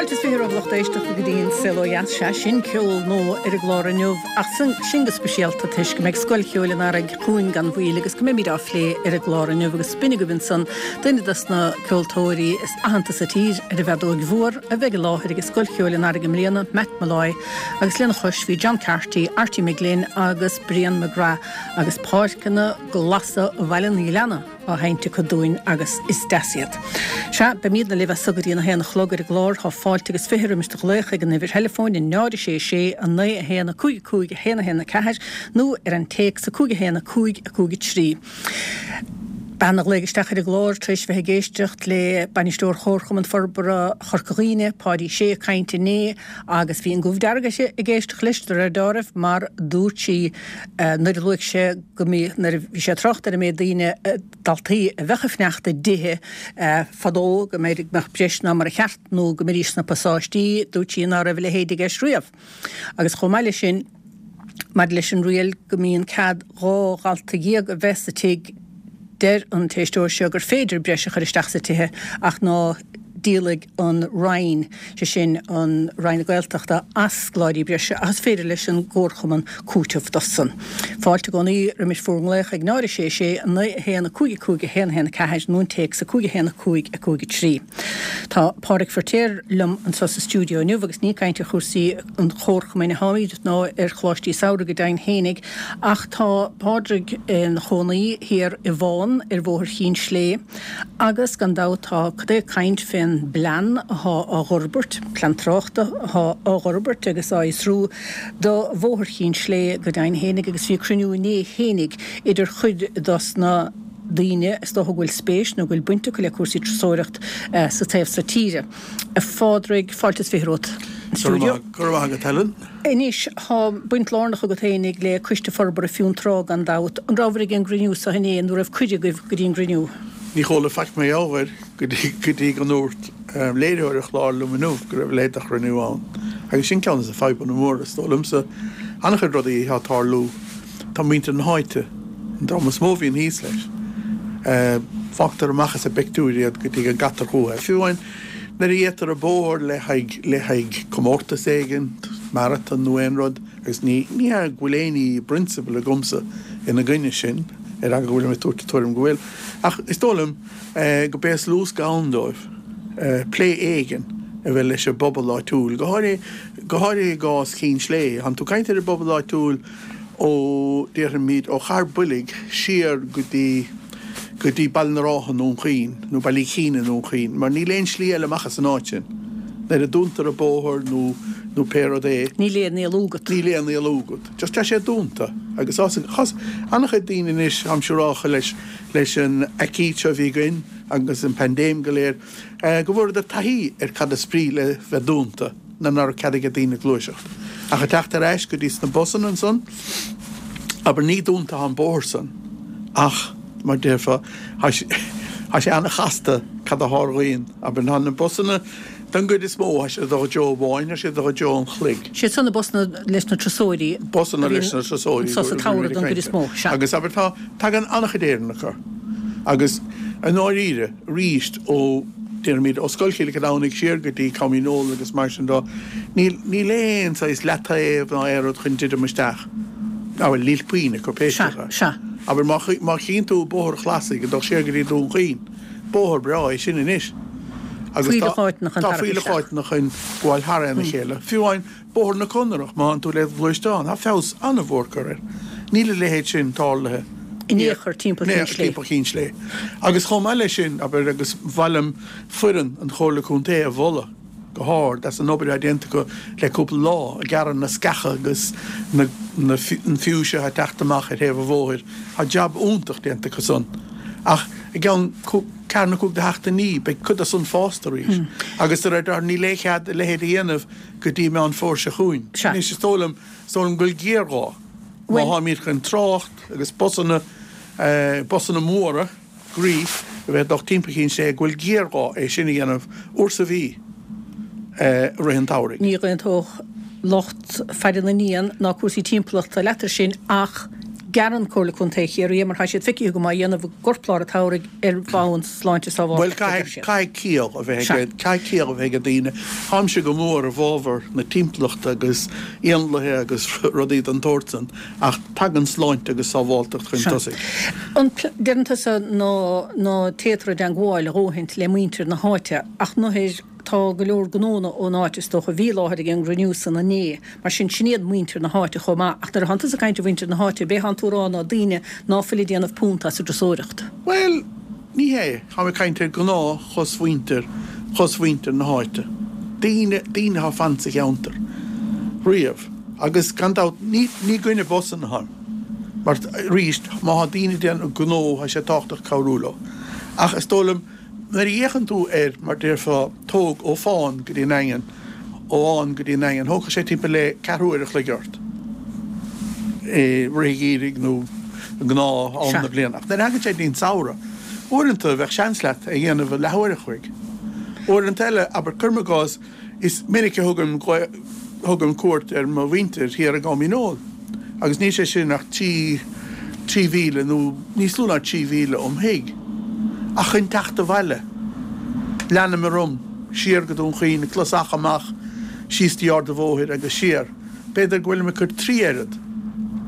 Fáilte is 20 romhaibh lucht éisteachta go dtí an Saol Ó Dheas. Sea, sin ceol nua ar an gclár inniu ach sin go speisialta toisc go mbeidh Scoil Cheoil an Earraigh chugainn gan mhoill agus go mbeimid á phlé ar an gclár inniu agus b'in agaibh ansan duine dos na ceoltóirí is aitheanta sa tír ar an bhfeadóig mhór a bheidh i láthair ag Scoil Cheoil an Earraigh i mbliana, Matt Molloy, agus lena chois bhí John Carty, Arty McGlynn agus Brian McGrath agus Páirceanna Glasa Bhaile an Ghleanna. á sheinnt acu dúinn agus is deas iad. Sea, beimídne libh as so go dtí an 1 a chlog ar an gclár. Tá fáilte agus 20 roimis do ghlaoch ag an uimhir theileafóin, 0 6 6 9 1 5 5 1 1 4 nó ar an téacs 5 1 5 5 3. Bean a ghlaoigh isteach ar an gclár tar éis bheith ag éisteacht le Bainisteoir Chomharchumann Forbartha Chorca Dhuibhne, Páidí Sé, ag caint inné agus bhí an gomh dearg uirthi ag éisteacht leis de réir deáraimh mar dúirt sí nuair a luaigh sé go mbí, nuair a bhí sé ag trácht ar an méid daoine, daltaí a bheadh ag fanacht i dtithe fadó, go mb'fhéidir go mbeadh breis ná mar a cheart nó go mbeidís sna pasáistí, dúirt sí ná raibh a leithéid i gceist riamh. Agus chomh maith leis sin, maidir leis an riail go mbíonn cead 12 dhalta a bheith sa tigh, deir an t-éisteoir seo gur féidir breis a chur isteach sa tithe ach ná díolfaidh an Roinn, sé sin an Roinn na Gaeltachta, as scoláirí breise ach is féidir leis an gComharchumann cúiteamh dósan. Fáilte i gcónaí roimis bhur nglaoch ag 0 6 6 9 1 5 5 1 1 4 nó an téacs 5 1 5 5 3. Tá Pádraig Feiritéar liom anseo sa stiúideo inniu agus ní ag caint ar chúrsaí an Chomharchumainn atáimid ná ar Choláistí Samhraidh go deimhin fhéinig ach tá Pádraig ina chónaí thiar i bhFán ar Bhóthar Chinn Slé agus gan dabht tá cad é caint fén bplean athá á dh'fhorbairt, plean tráchta athá á dh'fhorbairt agus á fhiosrú do Bhóthar Chinn Slé go deimhin fhéinig agus bhí cruinniú inné fhéinig idir chuid dos na daoine is dócha go bhfuil spéis nó go bhfuil baint acu le cúrsaí turasóireacht sa taobh so tíre. A Phádraig, fáilte is 20 romhat an stiúideo. Go raibh maith agat, Helen. Anois, tá baint lárnach agat fhéinig le Coiste Forbartha Fionntrá gan dabht. An rabhabhair ag an gcruinniú so inné nó raibh cuireadh agaibh go dtí an gcruinniú? Ní chuala faic mar gheall air go dtí go ndúirt léiritheoir an chláir liom inniu go raibh a leithéid de chruinniú ann. Agus sin ceann de na fadhbanna móra, is dóigh liomsa. An-chuid rudaí atá ag tarlú. Tá muintir na háite, an dream is mó a bhíonn thíos leis. Fágtar amach as an bpictiúr iad go dtí go gcaitear chucu. Fiú amháin nuair a dhéantar an bóthar le haghaidh le haghaidh comórtas éigin, marathon nó aon rud, agus ní ní hea go bhfuil aon ní i bprionsabal agamsa ina gcoinne sin, ar eagla go bhfuilim ag tabhairt an tuairim go bhfuil, ach is dóigh liom go b'é is lú ann dóibh plé éigin a bheith leis an bpobal áitiúil, go háirithe go háirithe i gcás Chinn Slé. Tánn tú ag caint ar an bpobal áitiúil ó, déarfaimid, ó Chathair Boilg siar go dtí, go dtí Baile na Rátha i nDún Chaoin, nó Baile Uí Chinn i nDún Chaoin, mar níl aon slí eile amach as an áit sin. Nuair a dúntar an bóthar nó, nó pé rud é. Níl aon éalú agat. Níl aon éalú agat. Just tá sé dúnta. Agus tá, an-chuid daoine anois, táim siúrálta leis, leis an aicíd seo a bhí againn agus an paindéim go léir, go bhfuaireadar taithí ar cad is brí le bheith dúnta. nuair ná raibh cead ag daoine gluaiseacht. Ach ag teacht ar ais go dtí sna busanna ansan, abair, ní dúnta atá an bóthar san ach, mar déarfá, tá sé an-chasta cad a tharlaíonn. Abair, tá na busanna, don gcuid is mó, tá siad ag dul i dtreo amháin, tá siad ag dul i dtreo an chloig. Siad san na busanna leis na turasóirí. Busanna leis na turasóirí. Anso sa tsamhradh don gcuid is mó, sea. Agus abair, tá, tagann an-chuid Éireannach orthu. Agus i ndáiríre, arís ó, déarfaimid, ó Scoil Chill Domhnaigh siar go dtí Com Dhíneol agus mar sin dó, níl, níl aon saghas leataobh ná aon rud chun druidim isteach. Ah bhuel, níl puinn acu, pé scéal é. Sea, sea. Abair, má, má chíonn tú Bóthar Chlasaigh ag dul siar go dtí Dún Chaoin, bóthar breá é sin anois. Agus tá, Fuílleach áiteanna chun tá tarrac fuílleach isteach. áiteanna chun gabháil thar a chéile. Fiú amháin Bóthar na Conrach, má thánn tú le gluaisteán, tá feabhas an-mhór curtha air. Níl a leithéid sin tarlaithe in aon chor timpeall Chinn Slé. timpeall Chinn Slé. Agus chomh maith leis sin, abair, agus ba mhaith liom foireann an Chomhairle Contae a mholadh go hard as an obair atá déanta acu le cúpla lá, ag gearradh na sceacha agus na na an fiúise atá ag teacht amach ar thaobh an bhóthair. Tá jab iontach déanta acu san. Ach i gceann ceathair nó cúig de sheachtainí beidh cuid de san fásta arís. Agus de réir dealraimh níl aon chead a leithéid a dhéanamh go dtí Meán Fómhair seo chugainn. Sea. Anois, is dóigh liom, is dóigh liom go bhfuil géarghá, má tháimid chun trácht agus busanna, busanna móra groí a bheith ag dul timpeall Chinn Slé, go bhfuil géarghá é sin a dhéanamh uair sa mhí i rith an tsamhraidh. Ní aontódh lucht faire na n-éan ná cúrsaí timpeallachta leat ar sin ach. Gearrann Comhairle Contae Chiarraí é mar tá siad feicthe agam á dhéanamh i gcorplár an tsamhraidh ar bhonn sláinte Bhuel, sábháilteachta, a deir siad. caithfidh ciall a bheith ag, caithfidh ciall a bheith ag daoine. Táimse go mór i bhfabhar na timpeallachta agus éanlaithe agus rudaí den tsórt san ach tagann sláinte agus sábháilteacht chun tosaigh. An deireann tusa ná ná téatar i dteangmháil a dhóthaint le muintir na háite ach nuair tá go leor gnónna ón áit is dócha a bhí i láthair ag an gcruinniú san inné. Mar sin, sin iad muintir na háite chomh maith. Ach nuair atánn tusa ag caint ar mhuintir na háite, b'é thánn tú a rá ná daoine ná fuil ag déanamh punt as an dturasóireacht. Bhuel, ní hé. Táim ag caint ar ghnáth-chosmhuintir, chosmhuintir na háite. Daoine, daoine atá ag fanacht sa cheantar riamh. Agus gan dabht, ní, ní i gcoinne busanna atáim. Mar, arís, má tá daoine ag déanamh gnó, tá sé tábhachtach cabhrú leo. Ach is dóigh liom, Nuair a fhéachann tú air, mar déarfá, tóg ó Fán go dtí an Daingean, ó Fhán go dtí an Daingean, thógfadh sé timpeall le ceathrú uair a chloig ort i rith an gheimhridh nó gnáth am na bliana. Ach nuair a thagann sé go dtí an samhradh, uaireanta bheadh seans leat é a dhéanamh i leathuair a chloig. Uaireanta eile, abair, cuirim i gcás, Is minic a thugaim thugaim cuairt ar mo mhuintir thiar i gCom Dhíneol agus níl sé sin ach 3 mhíle nó níos lú ná 3 mhíle óm thigh. Ach chun teacht abhaile, leanaim orm siar go Dún Chaoin, an Clos Eacha amach, síos dtí Ard a' Bhóthair agus siar. B'fhéidir go bhfuilim ag cur 3 oiread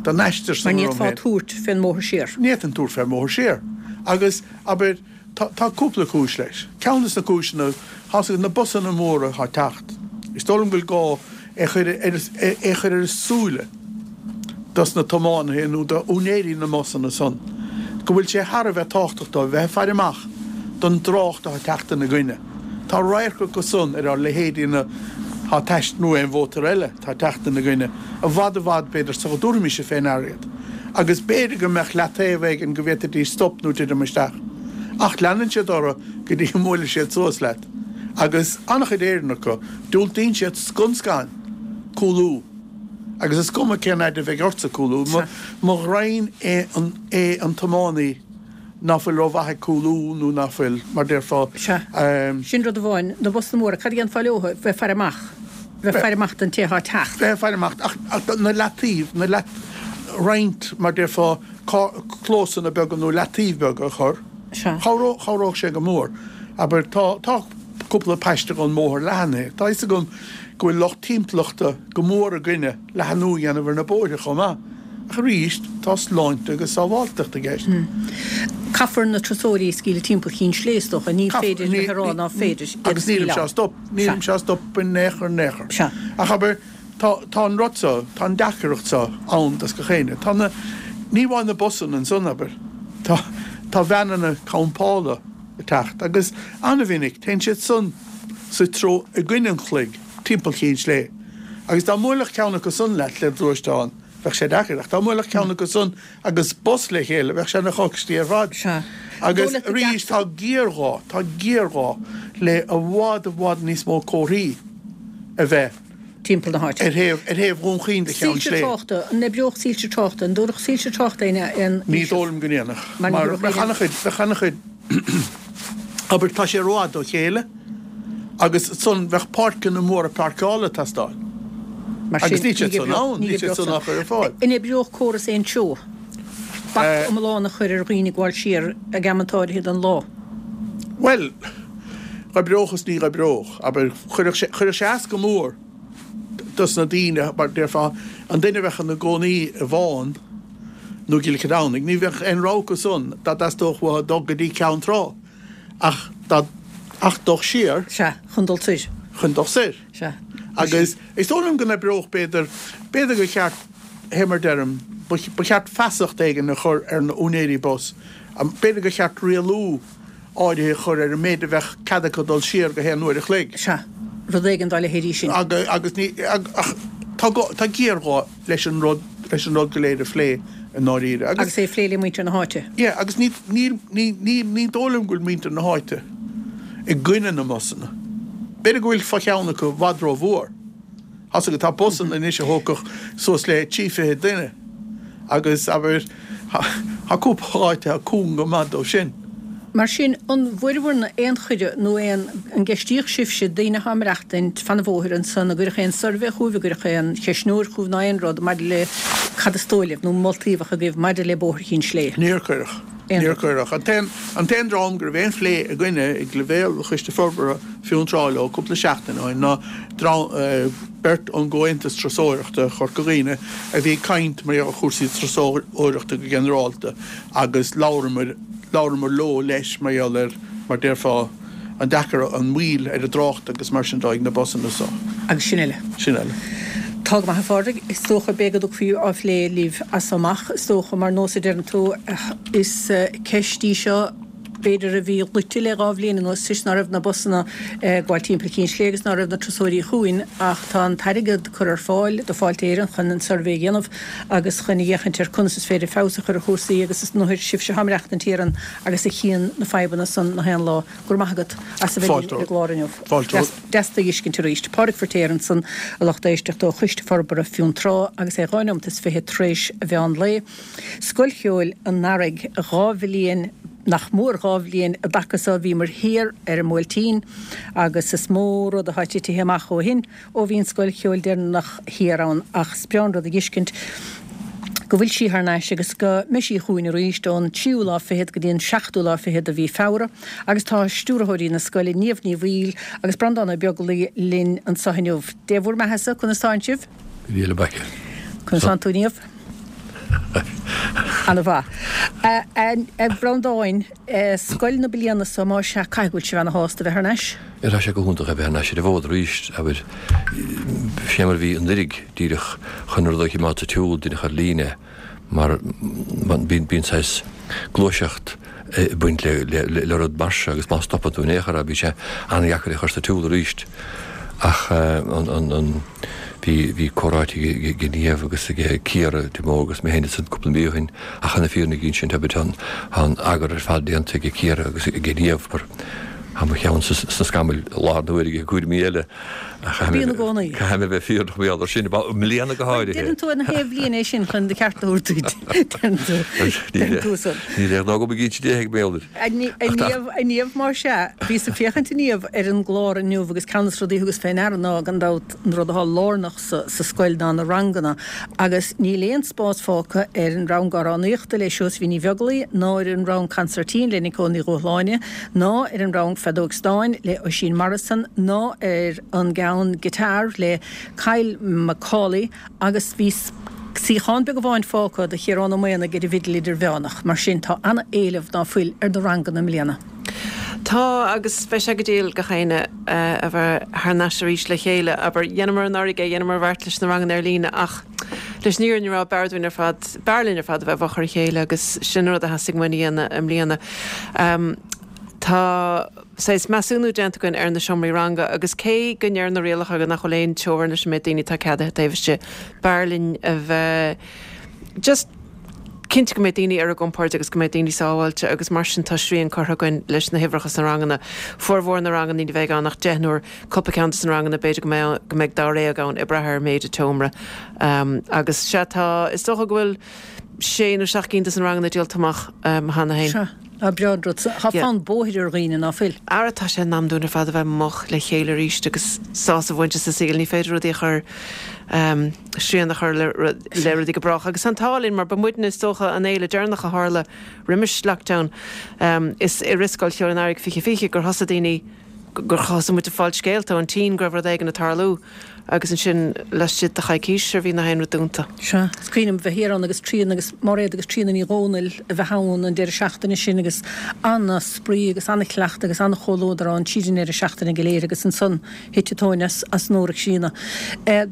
den aistear san orm féin. Mar ní fhéadfá tabhairt fén mbóthar siar. Ní fhéadfainn tabhairt fén mbóthar siar. Agus, abair, Tá cúpla cúis leis. Ceann de na cúiseanna, tá's agat na busanna móra atá ag teacht. Is dóigh liom go bhfuil gá é a chur é a chur ar a súile dos na tiománaithe nó do úinéirí na mbusanna san go bhfuil sé thar a bheith tábhachtach dóibh bheith ag faire amach don dtrácht atá ag teacht ina gcoinne. Tá radharc acu san ar ár leithéidí na atá ag teacht nó aon mhótar eile atá ag teacht ina gcoinne i bhfad i bhfad b'fhéidir sula dtabharfaimis fé ndeara iad. Agus b'fhéidir go mbeadh leataobh éigin go bhféadfaidís stop nó titim isteach. Ach leanann siad orthu go dtí go mbuaileann siad suas leat. Agus an-chuid Éireannach acu, diúltaíonn siad scun scan cúlú. Agus is cuma cén fhaid a bheidh ortsa cúlú. Mo ghraidhin é an tiománaí ná fuil rómhaith ag cúlú nó ná fuil, mar déarfá. Sea. Sin rud amháin. Na busanna móra, cad a dhéanfá leo? Bheith ag faire amach. Bheith ag faire amach don té atá ag teacht. Bheith ag faire amach. Ach na leataobh, na leat, roinnt, mar déarfá, clósanna beaga nó leataobh beaga a chur. Sea. Chabhródh, chabhródh sé go mór. Abair, tá, tá cúpla paiste den mbóthar leathanaithe. Tá fhios agam go bhfuil lucht timpeallachta go mór i gcoinne leathanú a dhéanamh ar na bóithre chomh maith. Ach arís, tá sláinte agus sábháilteacht i gceist. Caithfear na turasóirí a scaoileadh timpeall Chinn Slé, is dócha. Ní féidir a bheith ag rá ná féidir iad a Agus nílimse á stop. Nílimse á stop in aon chor in aon chor. Sea. Ach abair, tá, tá an rud seo, tá an deacracht seo ann dos gach éinne. Tá na, ní amháin na busanna ansan, abair, tá, tá veaineanna campála ag teacht agus an-mhinic téann siad san sa treo i gcoinne an chloig timpeall Chinn Slé. Agus dá mbuailfeadh ceann acu san leat le gluaisteán, bheadh sé deacair. Ach dá mbuailfeadh ceann acu san agus bus le chéile, bheadh sé ina choicistí ar fad. Sea. Agus arís, tá géarghá, tá géarghá le i bhfad, i bhfad níos mó comharthaí a bheith. timpeall na háite. Ar thaobh, ar thaobh Dhún Chaoin de Cheann Soilse Slé. tráchta, an oibreodh soilse tráchta, an dtabharfadh soilse tráchta aon, aon Ní dóigh liom go ndéanfadh. Mar ní Mar thabharfadh bheadh aon. an-chuid, bheadh an-chuid, abair, tá sé rófhada ó chéile. Agus ansan bheadh páirceanna móra páirceála ag teastáil. Mar sin, Agus níl siad ní san ann, ní níl siad oibreodh san á san. chur ar fáil. An oibreodh córas aon treo? Bac iomlán a chur ar dhaoine ag gabháil siar ag amanta áirithe den lá? Bhuel, dh'oibreodh is ní dh'oibreodh. Abair, chuirfeadh sé, chuirfeadh sé as go mór dos na daoine, mar déarfá, an duine a bheadh ina gcónaí i bhFán nó i gCill Cheadúnaigh, ní bheadh aon rogha acu san dá dteastódh uathu dul go dtí Ceann Trá. Ach dá, ach dul siar. Sea, chun dul soir. Chun dul soir. Sea. Agus is dóigh liom go n-oibreodh, b'fhéidir, b'fhéidir gur cheart, fé mar deirim, ba, ba cheart feasacht éigin a chur ar na úinéirí bus, b'fhéidir gur cheart rialú áirithe a chur ar an méid a bheadh cead acu dul siar go haon uair a chloig. Sea, rud éigin dá leithéidí sin. Agus, agus ní, ach tá gá, tá géarghá leis an rud, leis an rud go léir a phlé i ndáiríre. Agus. Agus é a phlé le muintir na háite. Yeah, agus ní, ní, ní, ní, ní dóigh liom go bhfuil muintir na háite i gcoinne na mbusanna. B'fhéidir go bhfuil fo-cheann acu i bhfad rómhór. Tá's agat, tá busanna anois a thógfadh suas le 23 duine agus, abair, tá cúpla áit atá cúng go maith dóibh sin. Mar sin, an bhfuaireabhair aon chuireadh nó aon, an gceistíodh sibhse daoine atá ag maireachtaint fan an bhóthair ansan, an gcuireadh aon suirbhé chugaibh, an gcuireadh aon cheistneoir chugaibh ná aon rud maidir le cad is dóigh libh nó moltaí a bheadh agaibh maidir le Bóthar Chinn Slé? Níor cuireadh. Aon Níor rud. cuireadh. An t-aon, an t-aon dream go raibh aon phlé againne ag leibhéal Choiste Forbartha Fionntrá leo cúpla seachtain ó shin ná dream, beirt ón gComhaontas Turasóireachta Chorca Dhuibhne a bhí ag caint mar gheall ar chúrsaí turasóireachta go ginearálta agus labhramar, labhramar leo leis mar gheall ar, mar déarfá, an deacair, an mhoill ar an dtrácht agus mar sin de ag na busanna so. Agus sin eile. Sin eile. Tá go maith a Phádraig, is dócha beidh go dtiocfaí á phlé libh as so amach, is dócha, mar nós a deireann tú, is ceist í seo, b'fhéidir, a bhí luite le 2 bhliain anuas toisc ná raibh na busanna ag gabháil timpeall Chinn Slé agus ná raibh na turasóirí chugainn ach tá an t-airgead curtha ar fáil do Fáilte Éireann chun an suirbhé a dhéanamh agus chun a fhéachaint ar conas is féidir feabhas a chur ar chúrsaí agus is ndóigh sibhse atá ag maireachtaint thiar ann agus a chíonn na fadhbanna san na haon lá. Go raibh maith agat as a bheith linn ar an gclár inniu. Fáilte. Deas tú a dh'fheiscint arís. Pádraig Firtéar ansan, a lucht éisteachta ó Choiste Forbartha Fionntrá agus é 2 neomat is 20 tar éis a mheán lae. Scoil Cheoil an Earraigh, 2 bhliain, nach mór 2 bhliain i dtaca so bhíomar thiar ar an mBuailtín agus is mó rud atá titithe amach ó shin, ó bhí an scoil cheoil deireanach thiar ann ach is breá an rud a dh'fheiscint go bhfuil sí thar n-ais agus go mbeidh sí chugainn arís ón tríú lá fichead go dtí an seachtú lá fichead de mhí Feabhra agus tá stiúrthóirí na scoile Niamh Ní Bhaoill agus Breandán Ó Beaglaoi linn anso inniu. Dé bhur mbeathasa, conas tánn sibh? Níl a baice. Conas tánn tú Niamh? Ana mhaith. A Bhreandáin, scoil na bliana so más ea, caithfidh go bhfuil sibh ana shásta a bheith thar n-ais? Tá sé go hiontach a bheith thar n-ais ar an bhfód arís, abair. Fé mar a bhí anuiridh, díreach chun rud a chimeád sa tsiúl, díreach ar líne, mar bíonn saghas gluaiseacht ag baint le rud mar seo agus má stopann tú in aon chor é, bíonn sé an-dheacair é a chur sa tsiúl arís. Ach an. Bhí, bhí comhráite ag Niamh agus ag Ciara de Mórdha agus mé féin ansan cúpla mí ó shin ach chun na fírinne a insint, abair, tá an eagar ar fad déanta ag Ciara agus ag Niamh mar tá mo cheann sna scamaill i láthair na huaire ag cúraimí eile ach caithfidh mé, gcónaí. caithfidh mé a bheith fírinneach mar gheall air sin, i mbliana go Bhuel, háirithe. deireann tú ar na haon bhliain é sin chun do cheart a thabhairt duit, deireann tú, deireann tú san. Níl aon gnó agam ag inse déithe ag béal duit. A Niamh, a Niamh, más ea, bhíos ag féachaint a Niamh ar an gclár inniu agus ceann de na rudaí a thugas fé ndeara ná, gan dabht, an rud atá lárnach sa scoil ná na ranganna agus níl aon spás fágtha ar an rang amhránaíochta le Seosaimhín Ní Bheaglaoi ná ar an rang consairtín le Nicole Ní Dhúshláine ná ar an rang feadóg stáin le Oisín Morrison ná ar an gceann guitar le Kyle McCauley Agus bhí suíochán beag amháin fágtha do Chiarán Ó Maonaigh ar an bhfidil idirmheánach. Mar sin, tá an-éileamh ná fuil ar na ranganna i mbliana. Tá, agus beidh sé go diail gach éinne a bheith thar n-ais arís le chéile. Abair, dheineamar anuraidh é, dheineamar an bheart leis na ranganna ar líne ach leis an fhírinne a rá, b'fhearr dúinn ar fad, b'fhearr linn ar fad a bheith i bhfochair a chéile agus sin an rud a theastaigh uainn a dhéanamh i mbliana. Tá. saghas measúnú déanta againn ar na seomraí ranga agus cé go ndeir na rialacha go nach bhfuil aon teorainn leis an méid daoine atá ceadaithe taobh istigh, b'fhearr linn a bheith just cinnte go mbeidh daoine ar a gcompord agus go mbeidh daoine sábháilte agus mar sin tá srian curtha againn leis na huimhreacha sna ranganna. Formhór na ranganna ní bheidh ann ach deichniúr, cúpla ceann de na ranganna b'fhéidir go mbeidh go mbeidh dáréag ann ag brath ar méid an tseomra. Agus sea tá, is dócha go bhfuil sé nó seacht gcinn de na ranganna díolta amach cheana féin. Sea. Tá breá an rud. Tá fonn bóthair ar dhaoine, ná fuil? Ara tá sé in am dúinn ar fad a bheith amuigh le chéile arís agus sásamh a bhaint as an saol. Ní féidir rudaí a chur, srian a chur le rudaí go brách. Agus tá an t-ádh linn mar ba muidne is dócha an fhéile deireanach a tharla roimis lockdown. Is i rith Scoil Cheoil an Earraigh 2020 gur thosaigh daoine, gur thosaigh muid ag fáil scéalta ón tSín go raibh rud éigin ag tarlú agus ansin laistigh de choicís sure bhí nach aon rud dúnta. Sea, is cuimhin liom bheith thiar ann agus Tríona agus Máiréad agus Tríona Ní Dhomhnaill a bheith ann an deireadh seachtaine sin agus ana-spraoi agus ana-chleachtadh agus ana-chomhluadar ann tríd an ndeireadh seachtaine go léir agus ansan thit an tóin as an iúr ag síneadh.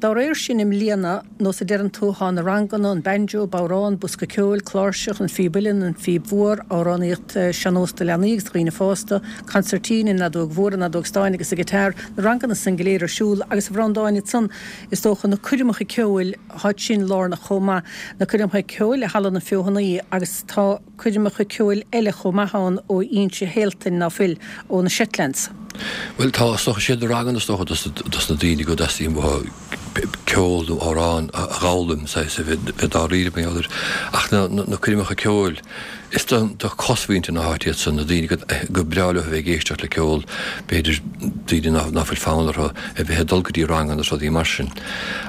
Dá réir sin i mbliana, nós a deireann tú, thá na ranganna, an banjo, bodhrán, bosca ceoil, cláirseach, an phíb uilleann, an phíb mhór, amhránaíocht sean-nós do leanaí agus do dhaoine fásta, consairtín, an fheadóg mhór, an fheadóg stáin agus an guitar, na ranganna san go léir ar siúl agus a Bhreandáin ansan is dócha na coirmeacha ceoil, tháid sin lárnach chomh maith, na coirmeacha ceoil i Halla na Feothanaí agus tá. coirmeacha ceoil eile chomh maith ann ó Inse Shealtainn, ná fuil, ó na Shetlands. Bhuel tá, is dócha, siad na ranganna is dócha dos dos na daoine go dteastaíonn uathu ceol nó amhrán a dh'fhoghlaim, saghas, a bheith dáiríre mar gheall air. Ach na na coirmeacha ceoil. Is do chosmhuintir na háite iad san, na daoine gur breá leo a bheith ag éisteacht le ceol, b'fhéidir daoine ná fuil fonn orthu a bheith ag dul go dtí ranganna is rudaí mar sin.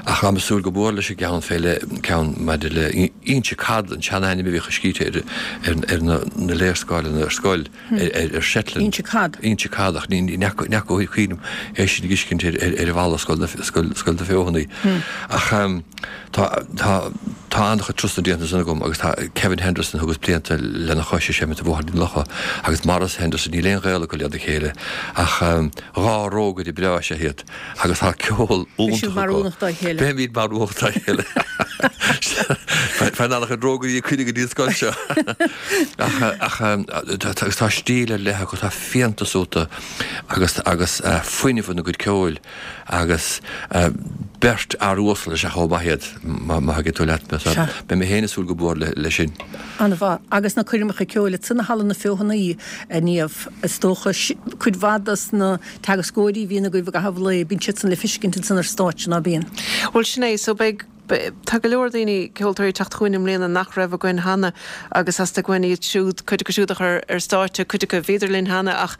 Ach táim ag súil go mór leis an gceann fé leith, ceann maidir le Inse Cad, an sean-ainm a bhíodh scríte ar na léarscáileanna ar scoil ar Shetland. Inse Cad. Inse Cad, ach ní fhaca cuimhin liom é sin a fheiscint ar bhalla Scoil na Feothanaí. Ach. Tá, tá, tá an-chuid turasanna déanta ansan agam agus tá Kevin Henderson a thugas blianta lena chois ag seimint i Bhóthar na Locha agus Maurice Henderson, níl aon ghaol acu lena chéile ach dhá rógaire breá is ea iad agus tá ceol Beidh sibh iontach acu. maraíonach dá chéile. Beimid maraíonach dá chéile. Faigheann an-chuid rógairí ag cuireadh go dtí an scoil seo. Ach, ach tá, agus tá stíl ar leith acu, tá fiántas iontu agus, agus fuinneamh ina gcuid ceoil. Agus beirt fhear uasal is ea chomh maith iad, má thuigeann tú leat mé. Sea. Beidh mé féin ag súil go mór leis sin. An-mhaith. Agus na coirmeacha ceoil ansan i Halla na Feothanaí, a Niamh, is dócha, cuid mhaith dos na teagascóirí a bhíonn agaibh i gcaitheamh lae, bíonn siadsan le feiscint ansan ar stáitse, ná bíonn? Bhuel, sin é. So beidh. Tá go leor daoine, ceoltóirí ag teacht chugainn i mbliana nach raibh againn cheana agus theastaigh uainn iad siúd, cuid acu siúd a chur ar stáitse, cuid acu bhíodar linn cheana ach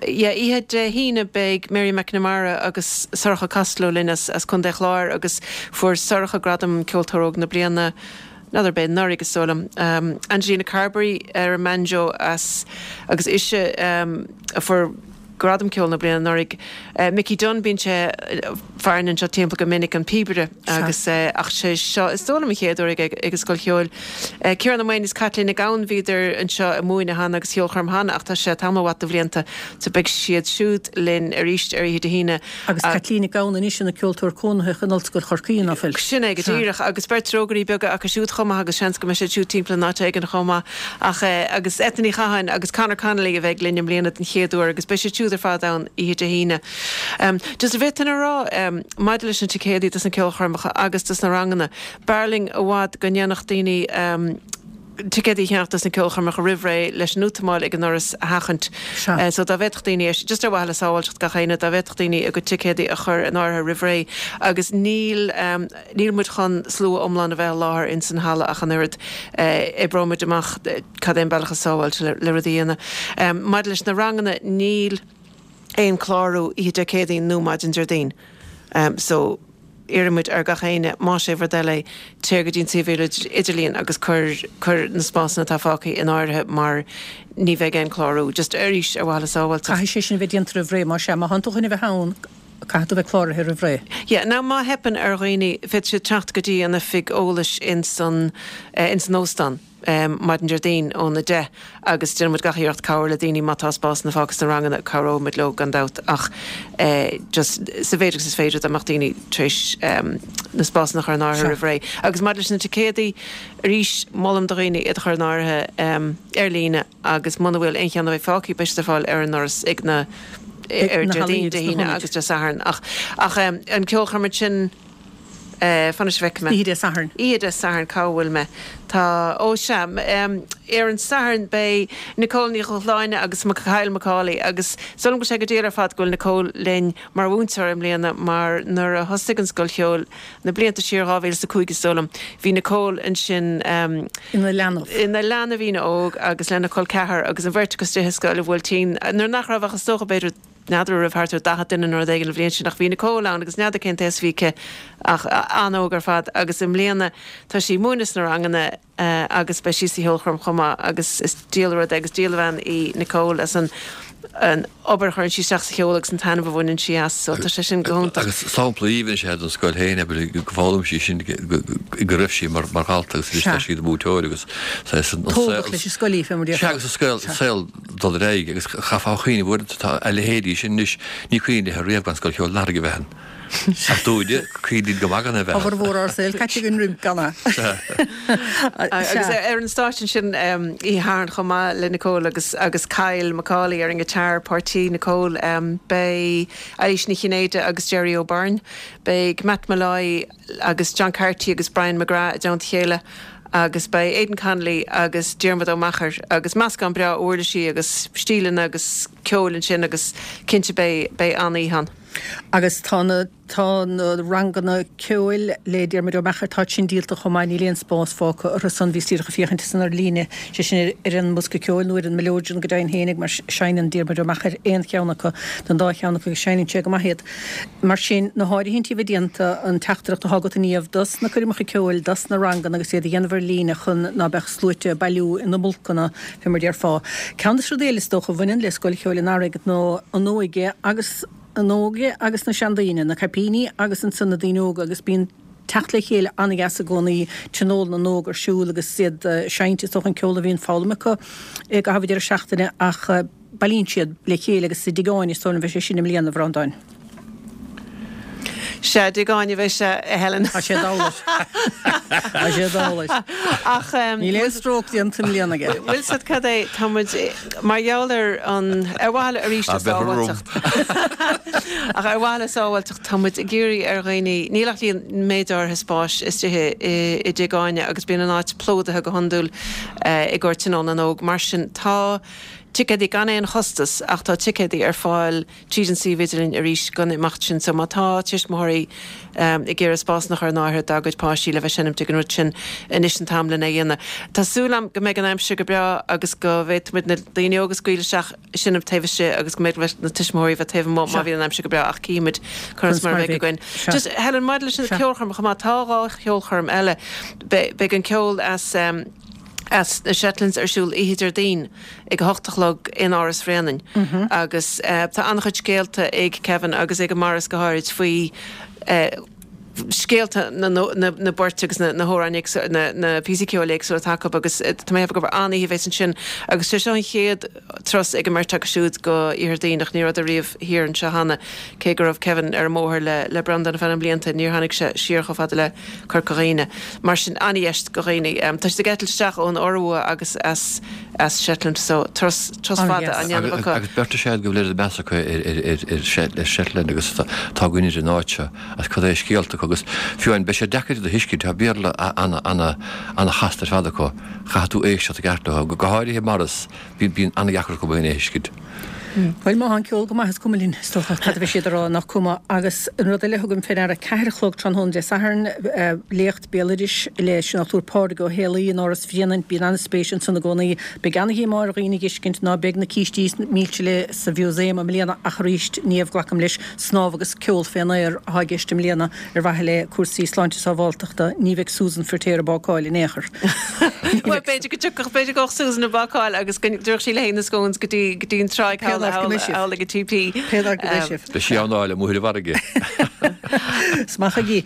yeah, oíche Dé hAoine beidh Mary McNamara agus Sorcha Costello linn as as Contae Chláir agus fuair Sorcha gradam Ceoltóir Óg na Bliana n'fheadar b'é anuraidh is dóigh liom. Angelina Carberry ar an mbanjo as agus ise a fuair Gradam Ceoil na Bliana anuraidh. Mickey Dunne, bíonn sé farainn anseo timpeall go minic, an píobaire agus ach sé seo is dóigh liom an chéad uair aige ag an Scoil Cheoil. Ciarán Ó Maonaigh is Caitlín Nic Gabhann, bhíodar anseo ag múineadh cheana agus cheolchoirm cheana ach tá sé tamall mhaith de bhlianta so beidh siad siúd linn arís ar oíche Dé hAoine. Agus Caitlín Nic Gabhann anois ina ceoltóir cónaitheach in Ollscoil Chorcaí, ná fuil? Sin é go díreach agus beirt rógairí beaga acu siúd chomh maith agus seans go mbeidh siad siúd timpeall an áit éigin chomh maith. Ach agus Eithne Ní Chatháin agus Conor Connolly a bheidh linn i mbliana den chéad uair agus beidh siad siúd ar fad ann oíche Dé hAoine. Just an bhféadfainn a rá maidir leis na ticéadaí dos na ceolchoirmeacha agus dos na ranganna, b'fhearr linn i bhfad go ndéanfadh daoine ticéadaí a cheannach dos na ceolchoirmeacha roimh ré leis an útamáil ag an ndoras a sheachaint. So dá bhféadfadh daoine, just ar mhaithe le sábháilteacht gach éinne, dá bhféadfadh daoine a gcuid ticéadaí a chur in áirithe roimh ré agus níl, Níl muid chun slua iomlán a bheith i láthair ins an halla ach an oiread. Oibreoidh muid amach cad é an bealach is sábháilte le rudaí a dhéanamh. Maidir leis na ranganna, níl aon clárú oíche Dé Céadaoin nó maidin Déardaoin. So, iarrann muid ar gach éinne, más é bhur dtoil é, téir go dtí an suíomh idirlíon agus cuir, cuir na spásanna atá fágtha in áirithe mar ní bheidh aon clárú. Just arís, ar mhaithe le sábháilteacht. Caithfidh sé sin a bheith déanta roimh ré, más ea. Má thánn tú chun a bheith ann, Caithfidh tú bheith cláraithe roimh ré. Yeah, now má theipeann ar dhaoine, féadfaidh siad teacht go dtí an oifig eolais ins an, ins an óstán maidin Déardaoin ón 10 agus déanfaidh muid gach iarracht cabhair le daoine má tá spásanna fágtha sna ranganna, cabhróidh muid leo gan dabht ach just sa mhéid agus is féidir dá mbeadh daoine tar éis na spásanna a chur in áirithe roimh ré. Agus maidir leis na ticéadaí, arís, molaim do dhaoine iad a chur in áirithe ar líne. agus muna bhfuil aon cheann a bheidh fágtha beidh siad ar fáil ar an ndoras ag na ar Déardaoin, Dé hAoine agus Dé Sathairn. Ach ach an ceolchoirm sin fan anois go bhfeicfidh mé. Oíche Dé Sathairn. Oíche Dé Sathairn, cá bhfuil mé? Tá, ó sea, ar an Satharn beidh Nicole Ní Dhubhshláine agus Kyle McCauley agus is dóigh liom go bhfuil sé go diail ar fad go bhfuil Nicole linn mar mhúinteoir i mbliana mar nuair a thosaigh an Scoil Cheoil Na blianta siar, 2005 is dóigh liom, bhí Nicole ansin ina leanbh. ina leanbhín óg agus lena col ceathar agus an bheirt acu istigh i scoil an Bhuailtín nuair nach raibh ach is dócha b'fhéidir n'fheadar an raibh thart ar 40 duine nó rud éigin an bhliain sin ach bhí Nicole ann agus n'fheadar cén t-aos a bhí aici ach an-óg ar fad agus i mbliana tá sí ag múineadh sna ranganna agus beidh sí sa cheolchoirm chomh maith agus is diail an rud é agus diail an bhean í Nicole as an an obair a chuireann sí isteach sa cheol agus an taitneamh a bhaineann sí as so tá sé sin go hiontach. Agus sampla aoibhinn is ea don scoil féin abair go bhfoghlaim sí sin go raibh sí mar dhalta agus anois tá sí ina múinteoir agus saghas an saol Tógadh leis an scoil í fé mar a Sea agus an scoil saol dul ar aghaidh agus chaithfeá a chuimhneamh uaireanta tá a leithéidí sin anois ní cuimhin léi riamh gan Scoil Cheoil an Earraigh a bheith ann. Ach dúinne, cuimhníonn go maith gan é bheith. Formhór ár saoil caite againn roimh gan é. Agus ar an stáitse ansin oíche Shathairn chomh maith le Nicole agus agus Kyle McCauley ar an ngiotár, páirtí Nicole, beidh Eilís Ní Chinnéide agus Jerry O'Byrne, beidh Matt Molloy agus John Carty agus Brian McGrath i dteannta a chéile agus beidh Aidan Connolly agus Diarmuid Ó Meachair agus meascán breá uirlisí agus stíleanna agus ceoil ansin agus cinnte beidh beidh an-oíche ann. Agus tá na tá na ranganna ceoil le Diarmuid Ó Meachair, táid sin díolta chomh maith, níl aon spás fágtha orthu san, bhíos díreach ag féachaint ansan ar líne, sé sin ar an mBosca Ceoil nó ar an Mileoidean go deimhin fhéinig mar seinneann Diarmuid Ó Meachair aon cheann acu den dá cheann acu agus seinneann sé go maith iad. Mar sin, na háirithintí a bheith déanta, an teachtaireacht atá agat a Niamh dos na coirmeacha ceoil, dos na ranganna agus iad a dhéanamh ar líne chun ná beadh sluaite ag bailiú ina mbulcanna, fé mar déarfá. Ceann de na rudaí eile is dócha a bhaineann le Scoil Cheoil an Earraigh ná an óige agus an óige agus na seandaoine, na caipíní agus ansan na daoine óga agus bíonn teacht le chéile an-dheas i gcónaí, Tionól na nÓg ar siúl agus iad ag seinnt is dócha an ceol a bhíonn foghlamtha acu i gcaitheamh an deireadh seachtaine ach bailíonn siad le chéile agus i dTigh Áine is dóigh liom a bheidh sé sin i mbliana, a Bhreandáin. Sea, i dTigh Áine a bheidh sé, a Helen. Tá sé doiligh. Tá sé doiligh. Ach. Níl aon stróc déanta i mbliana aige. Bhfuil 's a'd cad é, tá muid, mar gheall ar an, ar mhaithe le arís le sábháilteacht. Ach ar mhaithe le sábháilteacht, tá muid ag iarraidh ar dhaoine, níl ach líon, méid áirithe spáis istigh i dTigh Áine agus bíonn an áit plódaithe go hiondúil i gcomhair Tionól na nÓg. Mar sin, tá ticéadaí gan aon chostas ach tá ticéadaí ar fáil tríd an suíomh idirlín arís don imeacht sin. So má tá tuismitheoirí ag iarraidh spásanna a chur in áirithe dá gcuid páistí le bheith seinmt ag an rud sin, anois an t-am lena dhéanamh. Tá súil agam go mbeidh an aimsir go breá agus go bhféadfaimid na daoine óga a scaoileadh isteach ag seinmt taobh istigh agus go mbeidh na tuismitheoirí bheith taobh amuigh má bhíonn an aimsir go breá ach cífimid conas mar a bheidh againn. Just Helen, maidir leis an ceolchoirm chomh maith, tá 2 cheolchoirm eile. Beidh an ceol as as na Shetlands ar siúl oíche Déardaoin ag a hocht a chlog in Áras Bhréanainn agus tá an-chuid scéalta ag Kevin agus ag Maurice go háirid faoi scéalta na na bpoirt agus na hamhráin éagsúla, na píosaí ceoil éagsúla atá acu agus tá mé ag ceapadh gurb an-oíche a bheas ansin agus sé seo an chéad turas ag an mbeirt acu siúd go Iarthar Duibhneach, ní rabhadar riamh thiar anseo cheana, cé go raibh Kevin ar an mbóthar le le Breandán ar feadh na mblianta, níor tháinig sé siar chomh fada le Corca Dhuibhne. Mar sin, an-dheis do dhaoine. Tá siad ag eitilt isteach ón Iorua agus as as Shetland so turas turas fada á ndéanamh acu. Agus beirt is ea go bhfuil oiread meas acu ar ar Shetland agus atá againn ar an áit seo agus cad é a scéalta acu agus fiú amháin beidh sé deacair iad a thuiscint, tá Béarla ana-chasta ar fad acu, caithfidh tú éisteacht i gceart leo, go háirithe Maurice. Bíonn an-dheacair acu é a thuiscint. Bhuel, má tá an ceol go maith, is cuma linn, is dócha, cad a bheidh siad a rá, nach cuma. Agus an rud eile a thugaim fé ndeara, ceathair a chlog tráthnóna Dé Sathairn, léacht béaloidis leis an Dr Pádraig Ó Héalaí in Áras Bhréanainn. Bíonn an-spéis ansan i gcónaí. Beidh an-dhíomá ar dhaoine a dh'fheiscint ná beidh na cístí milse le sa mhúsaem i mbliana ach arís, Niamh, glacaim leis, snámh agus ceol fén aer atá i gceist i mbliana. Ar mhaithe le cúrsaí sláinte sábháltachta, ní bheidh Susan Firtéar ag bácáil in aon chor. Bhuel, b'fhéidir go dtiocfadh, b'fhéidir go dtiocfadh Susan ag bácáil agus go dtabharfadh sí léi na scones go dtí, go dtí an tráigh thall, thall, thall ag an TP. Pé ar go mbeidh sibh. Beidh sí ann á fháil amuigh ar an bhfarraige. Is maith chuige.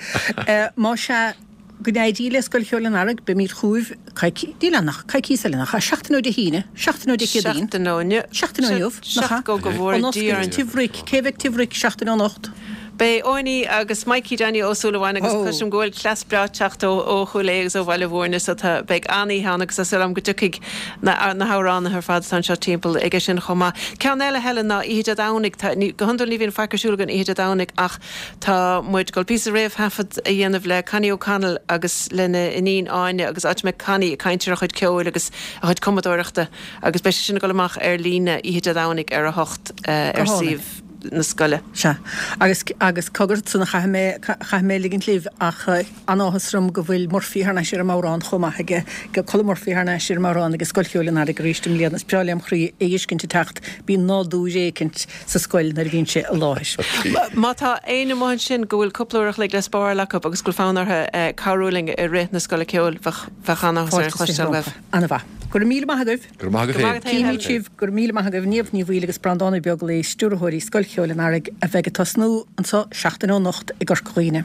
Más ea, go n-éirí le Scoil Cheoil an Earraigh, beimid chugaibh coicís, níl ann ach coicíos eile nach ea? Seachtain ó Dé hAoine, seachtain ó Dé Céadaoin. Seachtain ó inniu. Seachtain ó inniu, nach ea? Go go bhfóire An Dia oscailt orainn. Tigh Bhric, cé bheidh Tigh Bhric seachtain ó anocht? Beidh Eoiní agus Mikey Danny Ó Súilleabháin agus cloisim go bhfuil cleas breá ag teacht ó ó Chúil Aodha agus ó Bhaile Mhúirne so tá beidh an-oíche ann agus tá súil agam go dtiocfaidh na na hamhránaithe ar fad atá anseo timpeall aige sin chomh maith. Ceann eile Helen ná oíche Dé Domhnaigh, tá ní go hiondúil ní bhíonn faic ar siúl againn oíche Dé Domhnaigh ach Tá muid ag dul píosa réamhthaifead a dhéanamh le Connie O'Connell agus lena iníon Áine agus áit a mbeidh Connie ag caint ar a chuid ceoil agus a chuid cumadóireachta agus beidh sé sin ag dul amach ar líne oíche Dé Domhnaigh ar a hocht ar suíomh na scoile. Sea. Agus, agus cogar, san a chaithfidh mé, chaithfidh mé ligint libh ach an-áthas orm go bhfuil Murphy thar n-ais ar an mbodhrán chomh maith aige, Colm Murphy thar n-ais ar an mbodhrán ag Scoil Cheoil an Earraigh arís i mbliana. Is breá lem chroí é dh'fheiscint ag teacht. Bíonn nádúr éicint sa scoil nuair a bhíonn sé i láthair. Má tá éinne amuigh ansin go bhfuil cúpla uair a chloig le spáráil acu agus go bhfuil fonn orthu cabhrú linn i rith na Scoile Ceoil, bheadh an-áthas orainn cloisteáil uaibh. An-mhaith. Go raibh míle maith agaibh. Go raibh maith agat féin. Cífimid sibh. Go raibh míle maith agaibh. Niamh Ní Bhaoill agus Breandán Ó Beaglaoi, stiúrthóirí Scoil Cheoil an Earraigh, a bheidh ag tosnú anseo seachtain ó anocht i gCorca Dhuibhne.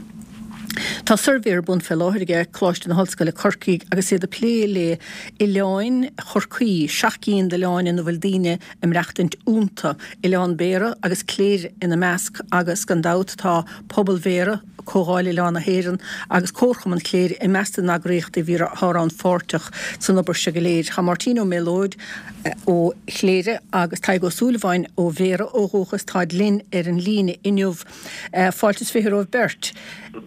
Tá suirbhé ar bun fé láthair aige Coláiste na hOllscoile Corcaigh agus iad ag plé le oileáin Chorcaí, 7 gcinn d'oileáin ina bhfuil daoine ag maireachtaint iontu, Oileán Béarra agus Cléire ina measc agus gan dabht tá Pobal Bhéarra, Comhdháil Oileán na hÉireann agus Comharchumann Chléire i measc na n-eagraíochtaí a bhí atá rannpháirteach san obair seo go léir. Tá Máirtín Ó Méalóid ó Chléire agus Tadhg Ó Súilleabháin ó Bhéarra ó dhúchas, táid linn ar an líne inniu. Fáilte is 20 romhaibh beirt.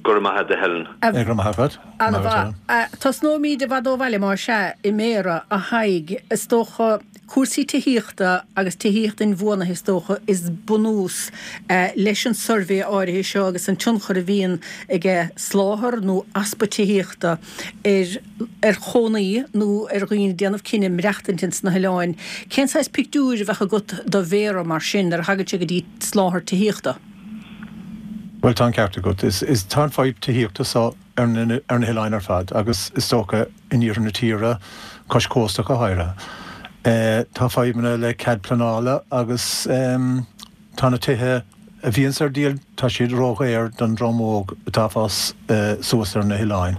Go raibh maith agat a Helen. Go raibh maith agat. Ana-mhaith. Tosnóimid i bhfad ó bhaile, más ea, i mBéarra, a Thaidhg. Is dócha. Cúrsaí tithíochta agus tithíocht inbhuanaithe is dócha is bunús leis an suirbhé áirithe seo agus an tionchar a bhíonn aige soláthar nó easpa tithíochta ar ar chónaí nó ar dhaoine ag déanamh cinneadh maireachtaint ins na hoileáin. Cén saghas pictiúir a bheadh agat do mhéara mar sin nuair a thagann sé go dtí soláthar tithíochta? Bhuel tá an ceart agat. Is tá an fadhb tithíochta so ar na hoileáin ar fad agus is dócha in iarthar na tíre, cois cósta go háirithe. Tá fadhbanna le cead pleanála agus tá na tithe a bhíonns ar díol, tá siad ródhaor don dream óg atá ag fás suas ar na hoileáin.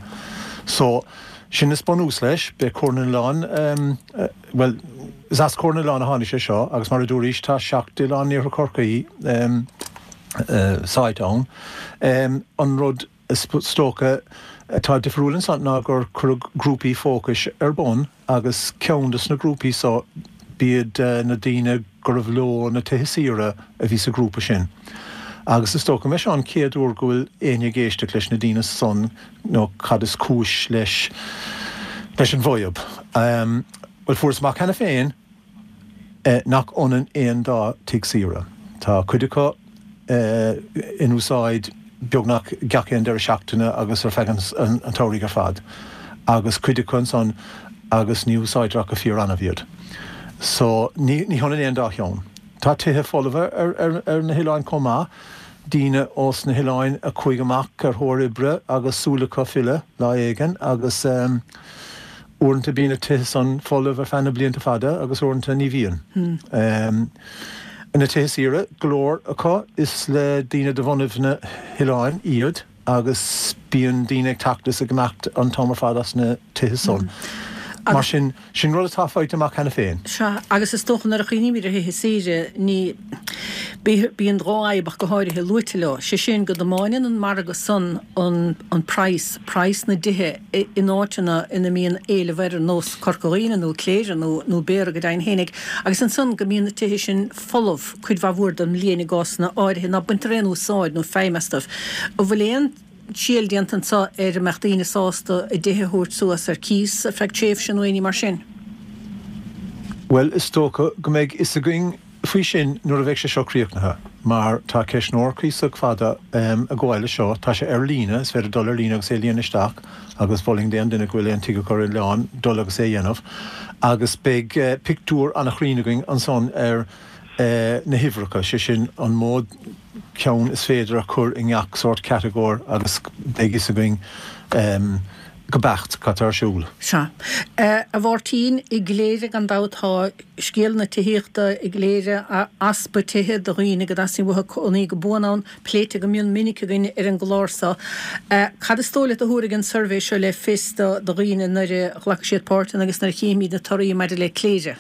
So, sin is bunús leis. Beidh Comhairle na nOileán, bhuel, is as Comhairle na nOileán a tháinig sé seo agus mar a dúraís, tá 7 oileán in iarthar Chorcaí sáite ann. An rud. Is dócha atá difriúil ansan ná gur cuireadh grúpaí fócais ar bun agus ceann de sna grúpaí so b'iad na daoine gurbh leo na tithe saoire a bhí sa ghrúpa sin. Agus is dócha go mbeidh seo an chéad uair go bhfuil éinne ag éisteacht leis na daoine san nó cad is cúis leis leis an bhfadhb. Bhuel fuarthas amach cheana féin nach ionann aon dá tigh saoire. Tá cuid acu in úsáid beagnach gach aon deireadh seachtaine agus ar feadh an tsamhraidh ar fad, agus cuid acu ansan agus ní úsáidtear ach go fíor-annamh iad. So, ní hionann aon dá cheann. Tá tithe folmha ar na hoileáin chomh maith, daoine ós na hoileáin a chuaigh amach ar thóir oibre agus súil acu filleadh lá éigin agus. Uaireanta bíonn na tithe san folamh ar feadh na blianta fada agus uaireanta ní bhíonn. Na tithe saoire, go leor acu is le daoine de bhunaibh na hoileáin iad agus bíonn daoine ag teacht is ag imeacht an t-am ar fad as na tithe san. Mar sin, sin rud atá faighte amach cheana féin. Sea, agus is dócha nuair a chuimhnímid ar thithe saoire, ní, bíonn dhá fhadhb ach go háirithe luaite leo, sé sin go dtiomáineann an margadh san an praghas, praghas na dtithe in áiteanna ina mbíonn éileamh air ar nós Corca Dhuibhne nó Cléire nó nó Béarra go deimhin fhéinig agus ansan go mbíonn na tithe sin folamh cuid mhaith mhór den mbliain i gcásanna áirithe ná baintear aon úsáid nó feidhm astu. An bhfuil aon triail déanta anso ar an mbeadh daoine sásta a dtithe a thabhairt suas ar cíos ar feadh tréimhse nó aon ní mar sin? Bhuel, is dócha go mbeidh fhios againn faoi sin nuair a bheidh sé seo críochnaithe, mar tá ceistneoir cuíosach fada ag gabháil leis seo. Tá sé ar líne, is féidir dul ar líne agus é a líonadh isteach agus mholfainn d'aon duine go bhfuil aon tigh acu ar oileán dul agus é a dhéanamh. Agus beidh pictiúr an-chruinn againn ansan ar na huimhreacha, sé sin an mó ceann is féidir a chur i ngach sórt catagóir agus beidh fhios againn go beacht cad tá ar siúl. Sea. A Mháirtín, i gCléire gan dabht tá scéal na tithíochta i gCléire, easpa tithe do dhaoine go dteastaíonn uathu cónaí go buan ann, pléite go mion minic againn ar an gclár seo. Cad is dóigh leat a thabharfaidh an suirbhé seo le fios do dhaoine nuair a ghlacfaidh siad páirt ann agus nuair a chífimid na torthaí maidir le Cléire?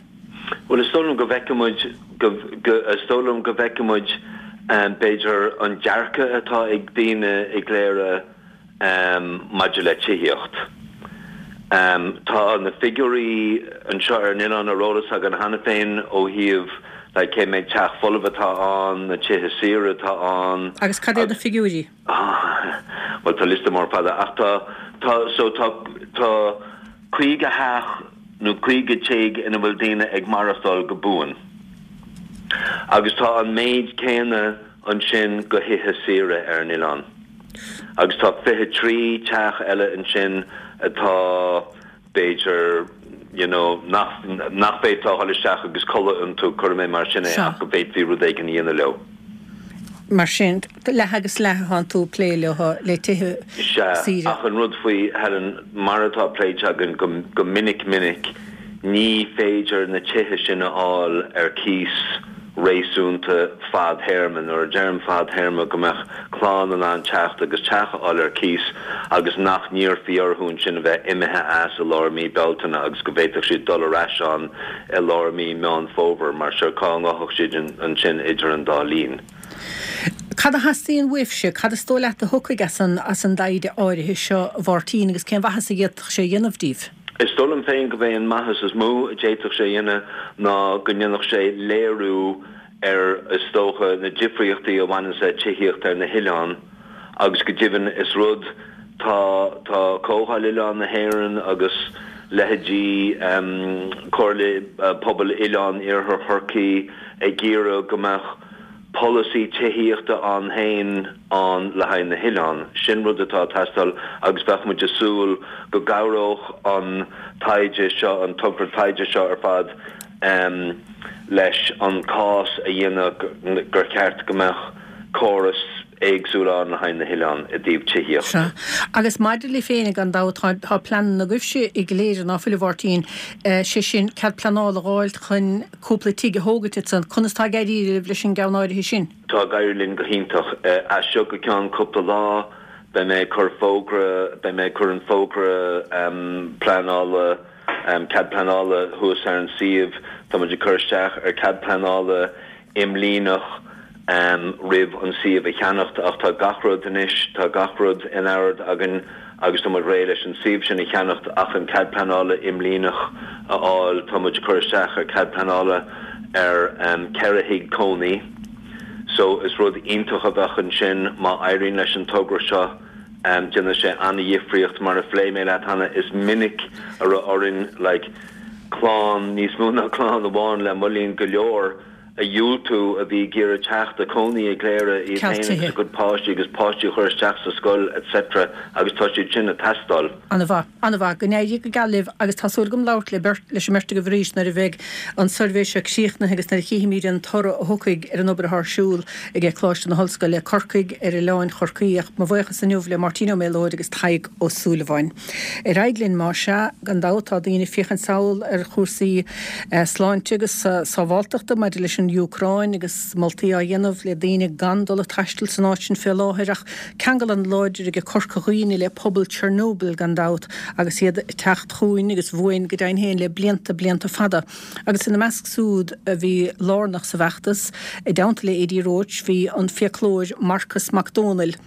Bhuel, is dóigh liom go bhfeicfidh muid, go, go, is dóigh liom go bhfeicfidh muid, b'fhéidir, an dearcadh atá ag daoine i gCléire, Maidir le tithíocht, tá na figiúirí anseo ar an oileán ar eolas againn cheana féin ó thaobh like cé mhéad teach folamh atá ann, na tithe saoire atá ann. Agus cad iad na figiúirí? Bhuel, tá liosta mór fada ach tá, tá, so tá, tá 50 theach nó 50 tigh ina bhfuil daoine ag maireachtáil go buan agus tá an méid céanna ansin go thithe saoire ar an oileán. Agus tá 23 teach eile ansin atá, b'fhéidir, you know, nach, nach bhféadfá a dhul isteach agus codladh iontu, cuirfidh mé mar sin é, ach go bhféadfaí rud éigin a dhéanamh leo. Mar sin, leath agus leath atánn tú ag plé leo, le tithe Sea, saoire. ach an rud faoi, Helen, mar atá pléite againn go, go minic minic, ní féidir na tithe sin a fháil ar cíos réasúnta fadthéarma. Nuair a deirim fadthéarma, go mbeadh clann in ann teacht agus teach a fháil ar cíos agus nach n-iarrfaí orthu ansin a bheith imithe as i lár mí Bealtaine agus go bhféadfadh siad dul ar ais ann i lár mí Meán Fómhair, mar sure cá ngabhfadh siad ansin idir an dá linn? Cad a theastaíonn uaibhse? Cad is dóigh leat a thiocfaidh as an as an dtaighde áirithe seo, a Mháirtín, agus cén mhaitheas a d'fhéadfadh sé a dhéanamh díbh? Is dóigh liom féin gurb é an maitheas is mó a d'fhéadfadh sé a dhéanamh ná go ndéanfadh sé léiriú ar, is dócha, na difríochtaí a bhaineanns le tithíocht ar na hoileáin agus go deimhin is rud, tá, tá Comhdháil Oileán na hÉireann agus. Leithéidí Comhairle Pobail Oileán Iarthar Chorcaí ag iarraidh go mbeadh polasaí tithíochta ann féin ann le haghaidh na hoileán. Sin rud atá ag teastáil agus bheadh muid ag súil go gcabhródh an taighde seo, an togra taighde seo ar fad leis an cás a dhéanamh gur cheart go mbeadh córas éagsúil ann le haghaidh na hoileán i dtaobh tithíocht. Sea. Agus maidir libh féin, gan dabht, tá, tá pleananna agaibhse i gCléire, ná fuil, a Mháirtín, sé sin, cead pleanála a dh'fháilt chun cúpla tigh a thógaint ansan. Conas tá ag éirí libh leis an gceann áirithe sin? Tá ag éirí linn go hiontach. As seo go ceann cúpla lá, beidh mé ag cur fógra, beidh mé ag cur an fógra pleanála, cead pleanála thuas ar an suíomh. Tá muid ag cur isteach ar cead pleanála imlíneach roimh an suíomh a cheannacht ach tá gach rud anois, tá gach rud in ord againn agus tá muid réidh leis an suíomh sin a cheannacht ach an cead pleanála imlíneach a fháil. Tá muid ag cur isteach ar cead pleanála ar 4 thigh cónaí so is rud iontach a bheadh ansin má éiríonn leis an togra seo. Déanfaidh sé an-dhifríocht mar a phléigh mé leat cheana is minic a raibh orainn like clann, níos mó ná clann amháin le moillín go leor, a dhiúltú a bhí ag iarraidh teacht a cónaí i gCléire, iad féin agus a gcuid páistí agus páistí a chur isteach sa scoil etc agus tá siad sin ag teastáil. An-mhaith. An-mhaith. Go n-éirí go geal libh agus tá súil agam labhairt le beirt, leis an mbeirt agaibh arís nuair a bheidh an suirbhé seo críochnaithe agus nuair a chífimid an toradh a thiocfaidh ar an obair atá ar siúl ag Coláiste na hOllscoile, Corcaigh ar Oileáin Chorcaí. Ach mo bhuíochas inniu le Máirtín Ó Méalóid agus Tadhg Ó Súilleabháin. Ar aghaidh linn, más ea, gan dabht tá daoine ag féachaint sall ar chúrsaí sláinte agus sábháltachta maidir leis an Úcráin agus moltaí á dhéanamh le daoine gan dul ag taisteal san áit sin fé láthair ach ceangal an-láidir ag Corca Dhuibhne le pobal Chernobyl gan dabht agus iad ag teacht chugainn agus uainn go deimhin féin le blianta, blianta fada. Agus ina measc súd a bhí lárnach sa bhfeachtas, i dteannta le Adi Roche, bhí an fiaclóir Marcas Mac Dónaill.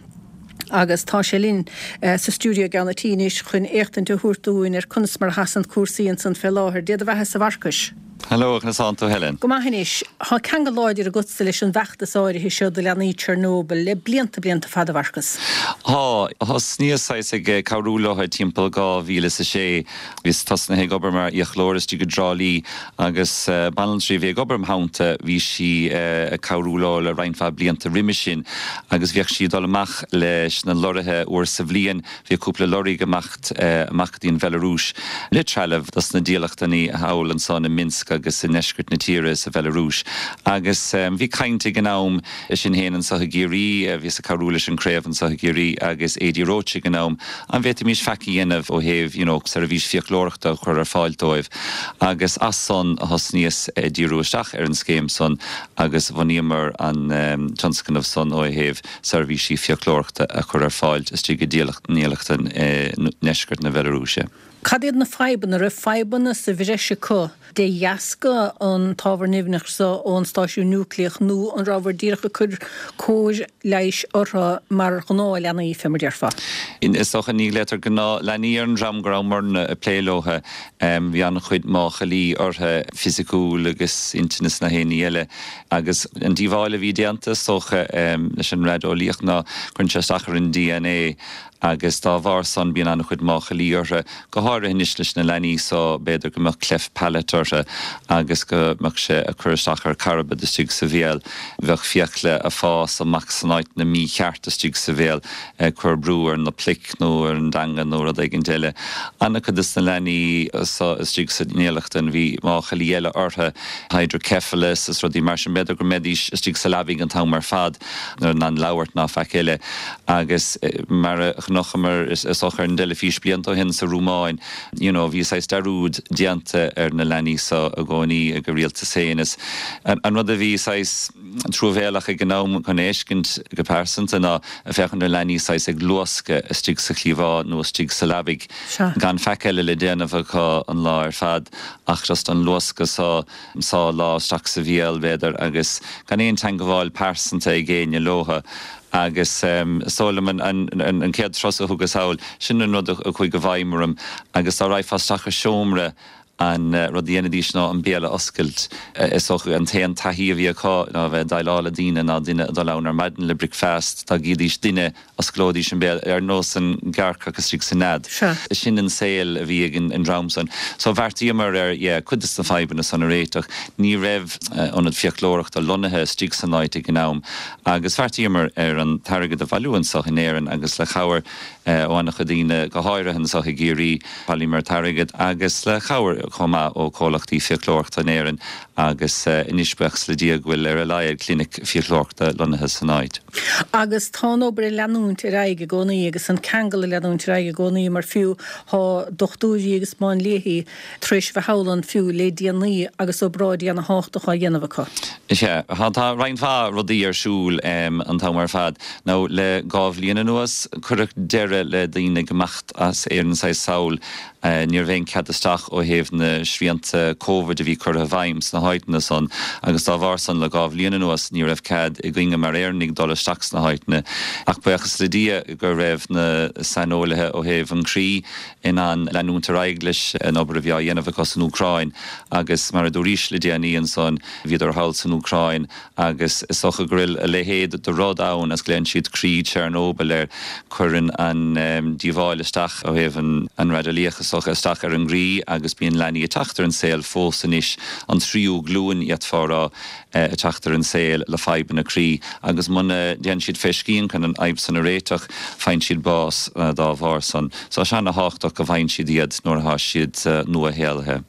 Agus tá sé linn sa stiúideo i gceann an tí anois chun éachtaint a thabhairt dúinn ar conas mar a sheasann cúrsaí ansan fé láthair. Dé do bheatha-sa a Mharcais. Hello, conas tánn tú Helen? Go maith anois. Tá ceangal láidir agatsa leis an bhfeachtas áirithe seo do leanaí Chernobyl le blianta, blianta fada, a Mharcais. Tá. Thosnaíos saghas ag cabhrú leo timpeall 2006. Bhíos tosnaithe ag obair mar fhiaclóir istigh i dTrá Lí agus banaltraí a bhí ag obair im theannta, bhí sí ag cabhrú leo le roinnt mhaith blianta roimis sin agus bhíodh sí ag dul amach leis na lorraithe uair sa bhliain, bhíodh cúpla lorraí ag imeacht amach go dtí an Bhelarúis le trealamh dos na dílleachtlannaí thall ansan i Minsk agus i ndeisceart na tíre sa Bhelarúis agus bhí caint ag an am sinn féin anso i gCiarraí, bhíos ag cabhrú leis an craobh anso i gCiarraí agus Adi Roche ag an am, an bhféadfaimis faic a dhéanamh ó thaobh you know seirbhís fiaclóireachta a chur ar fáil dóibh agus as san a thosnaíos ag díriú isteach ar an scéim san agus bhunaíomar an tionscnamh san ó thaobh seirbhísí fiaclóireachta a chur ar fáil istigh i ndílleachtlann i ndeisceart na Bhelarúise. Cad iad na fadhbanna? Raibh fadhbanna sa bhreis acu de dheasca an t-ábhar nimhneach seo ón stáisiún núicléach nó an rabhabhair díreach ag cur cóir leighis orthu mar ghnáthleanaí, fé mar déarfá? Is dócha, ní ghlaotar gnáthleanaí ar an dream go rabhamarna ag plé leo. Bhí an-chuid máchailí orthu, fisiciúil agus intinne is nach aon ní eile. Agus an díobháil a bhí déanta, is dócha, leis an raideolaíocht ná cuireann sé isteach ar an DNA agus dá bharr san bíonn an-chuid máchailí orthu, go háirithe anois leis na leanaí so, b'fhéidir go mbeadh cleft palate orthu agus go mbeadh sé ag cur isteach ar carbad istigh sa bhéal, bheadh fiacla ag fás amach san áiteanna mícheart istigh sa bhéal ag cur brú ar na pluic nó ar an dteanga nó rud éigint eile. An-chuid des na leanaí so istigh sa ndílleachtlann bhí máchailí eile orthu, hydrocephalus is rudaí mar sin, b'fhéidir go mbeidís istigh sa leabaidh an t-am ar fad. ní raibh in ann labhairt ná faic eile. Agus mar a chonaiceamar is dócha ar an dteilifís blianta ó shin sa Rúmáin, you know, bhí saghas dearúd déanta ar na leanaí so i gcónaí ag a rialtas féin. Is an rud a bhí saghas truamhéalach ag an am chun a fheiscint go pearsanta ná ag féachaint ar leanaí saghas ag luascadh istigh sa chliabhán nó istigh sa leabaidh gan faic eile le déanamh acu an lá ar fad ach just an luascadh so. sá lámh isteach sa bhéal, b'fhéidir, agus gan aon teangabháil pearsanta ag éinne leotha. Agus is dóigh liom an chéad turas a thugas thall, sin an rud a chuaigh i bhfeidhm orm. Agus dá raghfá isteach i seomra. An rud a dhéanaidís ná an béal a oscailt. Is dócha an t-aon taithí a bhí acu ná a bheith ag déileáil le daoine ná duine ag dul ann ar maidin le bricfeast, dá gcídís duine, osclóidís an béal, ar nós an gearrcach istigh sa nead. Sin an saol a bhí ag an dream san. So bheartaíomar ar, yeah, cuid de na fadhbanna san a réiteach. Ní raibh ionad fiaclóireachta lonnaithe istigh san áit ag an am agus bheartaíomar ar an t-airgead a bhailiú anso in Éirinn agus le cabhair ó an-chuid daoine, go háirithe anso i gCiarraí, bhailíomar t-airgead agus le cabhair chomh maith ó chomhlachtaí fiaclóireachta in Éirinn agus anois, buíochas le Dia, go bhfuil ar a laghad clinic fiaclóireachta lonnaithe san áit. Agus tá an obair ag leanúint ar aghaidh i gcónaí agus an ceangal ag leanúint ar aghaidh i gcónaí mar fiú tá dochtúirí agus máinliathaí tar éis a bheith thall ann fiú le déanaí agus obráidí ana thábhachtach á dhéanamh acu. Sea, tá roinnt mhaith rudaí ar siúl an t-am ar fad. Now le 2 bhliain anuas cuireadh deireadh le daoine ag imeacht as Éirinn saghas sall. Ní raibh aon cead isteach ó thaobh na srianta Covid a bhí curtha i bhfeidhm sna háiteanna san agus dá bharr san le 2 bhliain anuas ní raibh cead againne mar Éireannaigh dul isteach sna háiteanna. Ach buíochas le Dia go raibh na saineolaithe ó thaobh an chroí in ann leanúint ar aghaidh leis an obair a bhí á dhéanamh acu san Úcráin agus mar a dúraís le déanaí ansan bhíodar thall san Úcráin Agus is dócha go bhfuil a leithéid de rud ann is glaonn siad croí Chernobyl air. Cuireann an díobháil isteach ó thaobh an raideolaíoch is dócha isteach ar an gcroí agus bíonn leanaí ag teacht ar an saol fós anois, an tríú glúin d'fhéadfá a rá, ag teacht ar an saol le fadhbanna croí agus muna dtéann siad fé scian chun an fhadhb san a réiteach, faigheann siad bás dá bharr san. So tá sé ana-thábhachtach go bhfaigheann siad iad nuair atá siad nua-shaolaithe.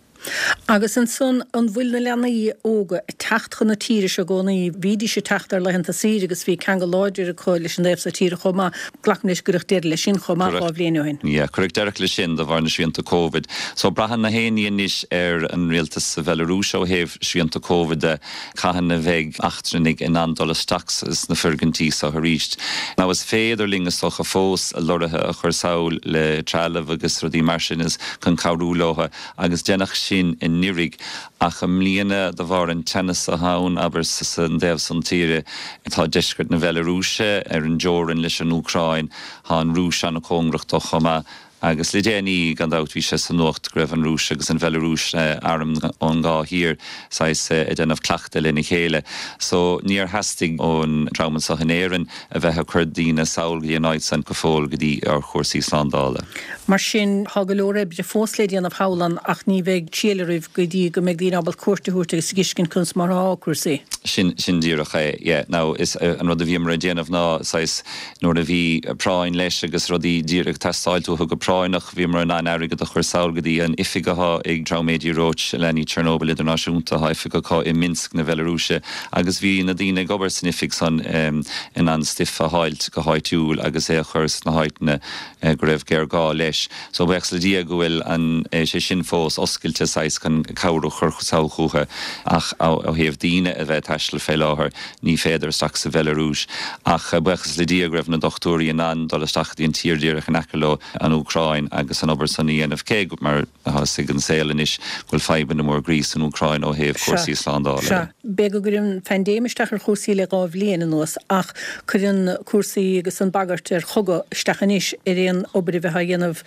Agus ansan, an bhfuil na leanaí óga ag teacht chun na tíre seo i gcónaí? Bhídís ag teacht ar laethanta saoire agus bhí ceangal láidir acu leis an dtaobh so tíre chomh maith. Glacaim leis gur cuireadh deireadh leis sin chomh maith 2 bhliain ó shin. Yeah, cuireadh deireadh leis sin de bharr na srianta Covid. So braitheann na haon ní anois ar an rialtas sa Bhelarúis ó thaobh srianta Covid de, cathain a bheidh eachtrannaigh in ann dul isteach sna foirgintí so arís. Now is féidir linn is dócha fós lorraithe a chur sall le trealamh agus rudaí mar sin is chun cabhrú leo agus deineadh sin anuraidh ach i mbliana de bharr an teannas atá ann abair san dtaobh san tíre tá deisceart na Bhelarúise ar an dteorainn leis an Úcráin tá an Rúis an-chóngarach dó chomh maith Agus le déanaí, gan dabht, bhí sé sa nuacht go raibh an Rúis agus an Bhelarúis, airm ón dhá thír, saghas, ag déanamh cleachtadh lena chéile. So, níor theastaigh ón dream anseo in Éirinn a bheith ag cur daoine sall go dtí an áit san go fóill go dtí ar chúrsaí slándála. Mar sin, tá go leor oibre fós le déanamh thall ann ach ní bheidh triail oraibh go dtí go mbeidh daoine ábalta cuairt a thabhairt agus a fheiscint conas mar atá cúrsaí. Sin, sin díreach é, yeah. Now, is, an rud a bhíomar ag déanamh ná saghas, Nuair a bhí práinn leis agus rudaí díreach ag teastáilt uathu go práinneach, bhíomar in ann airgead a chur sall go dtí an oifig athá ag dream Adi Roche, Leanaí Chernobyl Idirnáisiúnta, thá oifig acu i Minsk na Bhelarúise, agus bhí na daoine ag obair san oifig san in ann stuif a fháilt go háitiúil agus é a chur sna háiteanna go raibh géarghá leis. So buíochas le Dia go bhfuil an, sé sin fós oscailte saghas chun cabhair a chur sall chucu ach ó thaobh daoine a bheith ag taisteal fé láthair, Ní féidir isteach sa Bhelarúis. Ach buíochas le Dia go raibh na dochtúirí in ann dul isteach go dtí an tír díreach in aice leo, an Úcráin, agus an obair san a dhéanamh, cé go, mar atá fhios ag an saol anois, go bhfuil fadhbanna mór groí san Úcráin ó thaobh cúrsaí slándála de. Sea. B'fhéidir go gcuireann an phaindéim isteach ar chúrsaí le 2 bhliain anuas ach cuireann cúrsaí agus an bagairt ar chogadh isteach anois ar aon obair a bheith á dhéanamh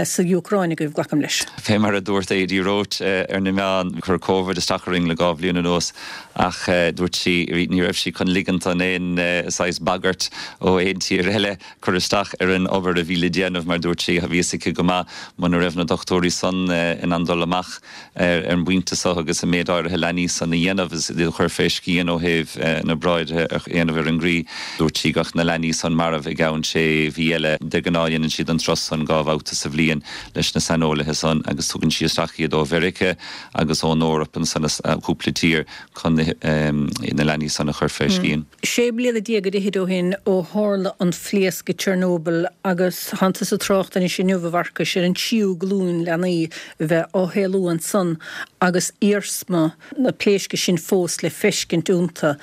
sa Úcráin agaibh, glacaim leis. Fé mar a dúirt Adi Roche ar na meáin, chuir Covid isteach orainn le 2 bhliain anuas. Ach dúirt sí, ní raibh sí chun ligint don aon saghas bagairt ó aon tír eile cur isteach ar an obair a bhí le déanamh mar dúirt sí, bhí fhios aici go maith muna raibh na dochtúirí san in ann dul amach ar an bpointe so agus an méid áirithe leanaí san a dhéanamh is iad a chur fé scian ó thaobh na obráide a dhéanamh ar an gcroí. Dúirt sí go mbeadh na leanaí san marbh i gceann sé mhí eile. De ghnáth dhéanann siad an turas san 2 bhabhta sa bhliain leis na saineolaithe san agus tugann sí isteach iad ó Mheiriceá agus ón Eoraip ansan is cúpla tír chun na leanaí san a chur fé scian. Sé bliana déag ar fhichid ó shin ó tharla an phléasc i Chernobyl agus tánn tusa ag trácht anois inniu, a Mharcais, ar an tríú glúin leanaí a bheith á shaolú ansan agus iarsma na pléisce sin fós le feiscint iontu.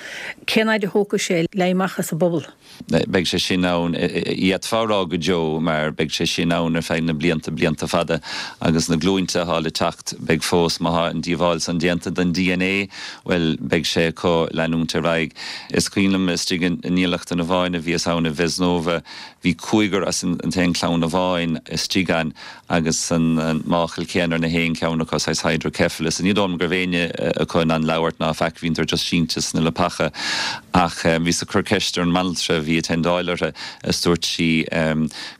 Cén fhaid a thógfaidh sé le amach as an bpobal? Beidh sé sin ann, d'fhéadfá a rá go deo, mar beidh sé sin ann ar feadh na blianta, blianta fada, agus na glúinte atá le teacht, beidh fós, má thá an díobháil san déanta don DNA, bhuel, beidh sé acu leanúint ar aghaidh. Is cuimhin liom istigh i ndílleachtlann amháin a bhíos ann i Vesnova, bhí cúigear as an t-aon chlann amháin. istigh ann agus an máchail céanna ar na haon cheann acu, saghas hydrocephalus. Ní dóigh liom go raibh éinne acu in ann labhairt ná faic, bhíodar just sínte sna leapacha. Ach bhíos ag cur ceist ar an mbanaltra a bhí ag teindeáil orthu is dúirt sí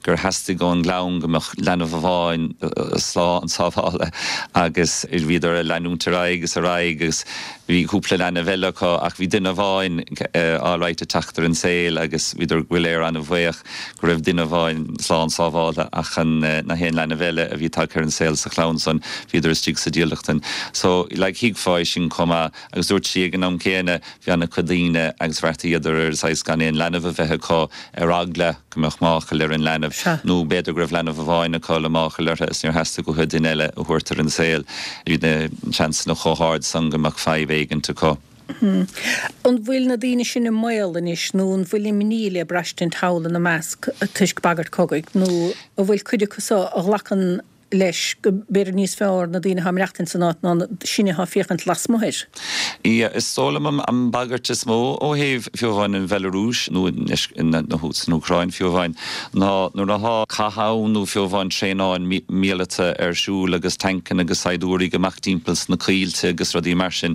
gur theastaigh ón gclann go mbeadh leanbh amháin slán sábháltha agus bhíodar ag leanúint ar aghaidh is ar aghaidh agus bhí cúpla leanbh eile acu ach bhí duine amháin alright ag teacht ar an saol agus bhíodar go léir an-bhuíoch go raibh duine amháin slán sábháltha ach an na haon leanbh eile a bhí tagtha ar an saol sa chlann san bhíodar istigh sa dílleachtan. So like thuigfeá é sin chomh maith agus dúirt sí ag an am céanna bhí an-chuid daoine agus bheartaíodar ar saghas gan aon leanbh a bheith acu ar eagla go mbeadh máchail ar an leanbh nó b'fhéidir go raibh leanbh amháin acu le máchail orthu is níor theastaigh uathu duine eile a thabhairt ar an saol. Bhí na seansanna chomh hard san go mbeadh fadhb éigint acu. An bhfuil na daoine sin i mbaol anois nó an bhfuil imní le braistint thall ina measc toisc bagairt cogaidh nó an bhfuil cuid acu so a ghlacann leis go b'fhéidir níos fearr na daoine atá ag maireachtaint san áit ná sinne atá ag féachaint lasmuigh air? Yeah, is dóigh liom an bhagairt is mó ó thaobh fiú amháin an Bhealarúis nó san Úcráin fiú amháin ná nuair atá cath ann nó fiú amháin traenáil míleata ar siúl agus tancanna agus saighdiúirí ag imeacht timpeall sna coillte agus rudaí mar sin,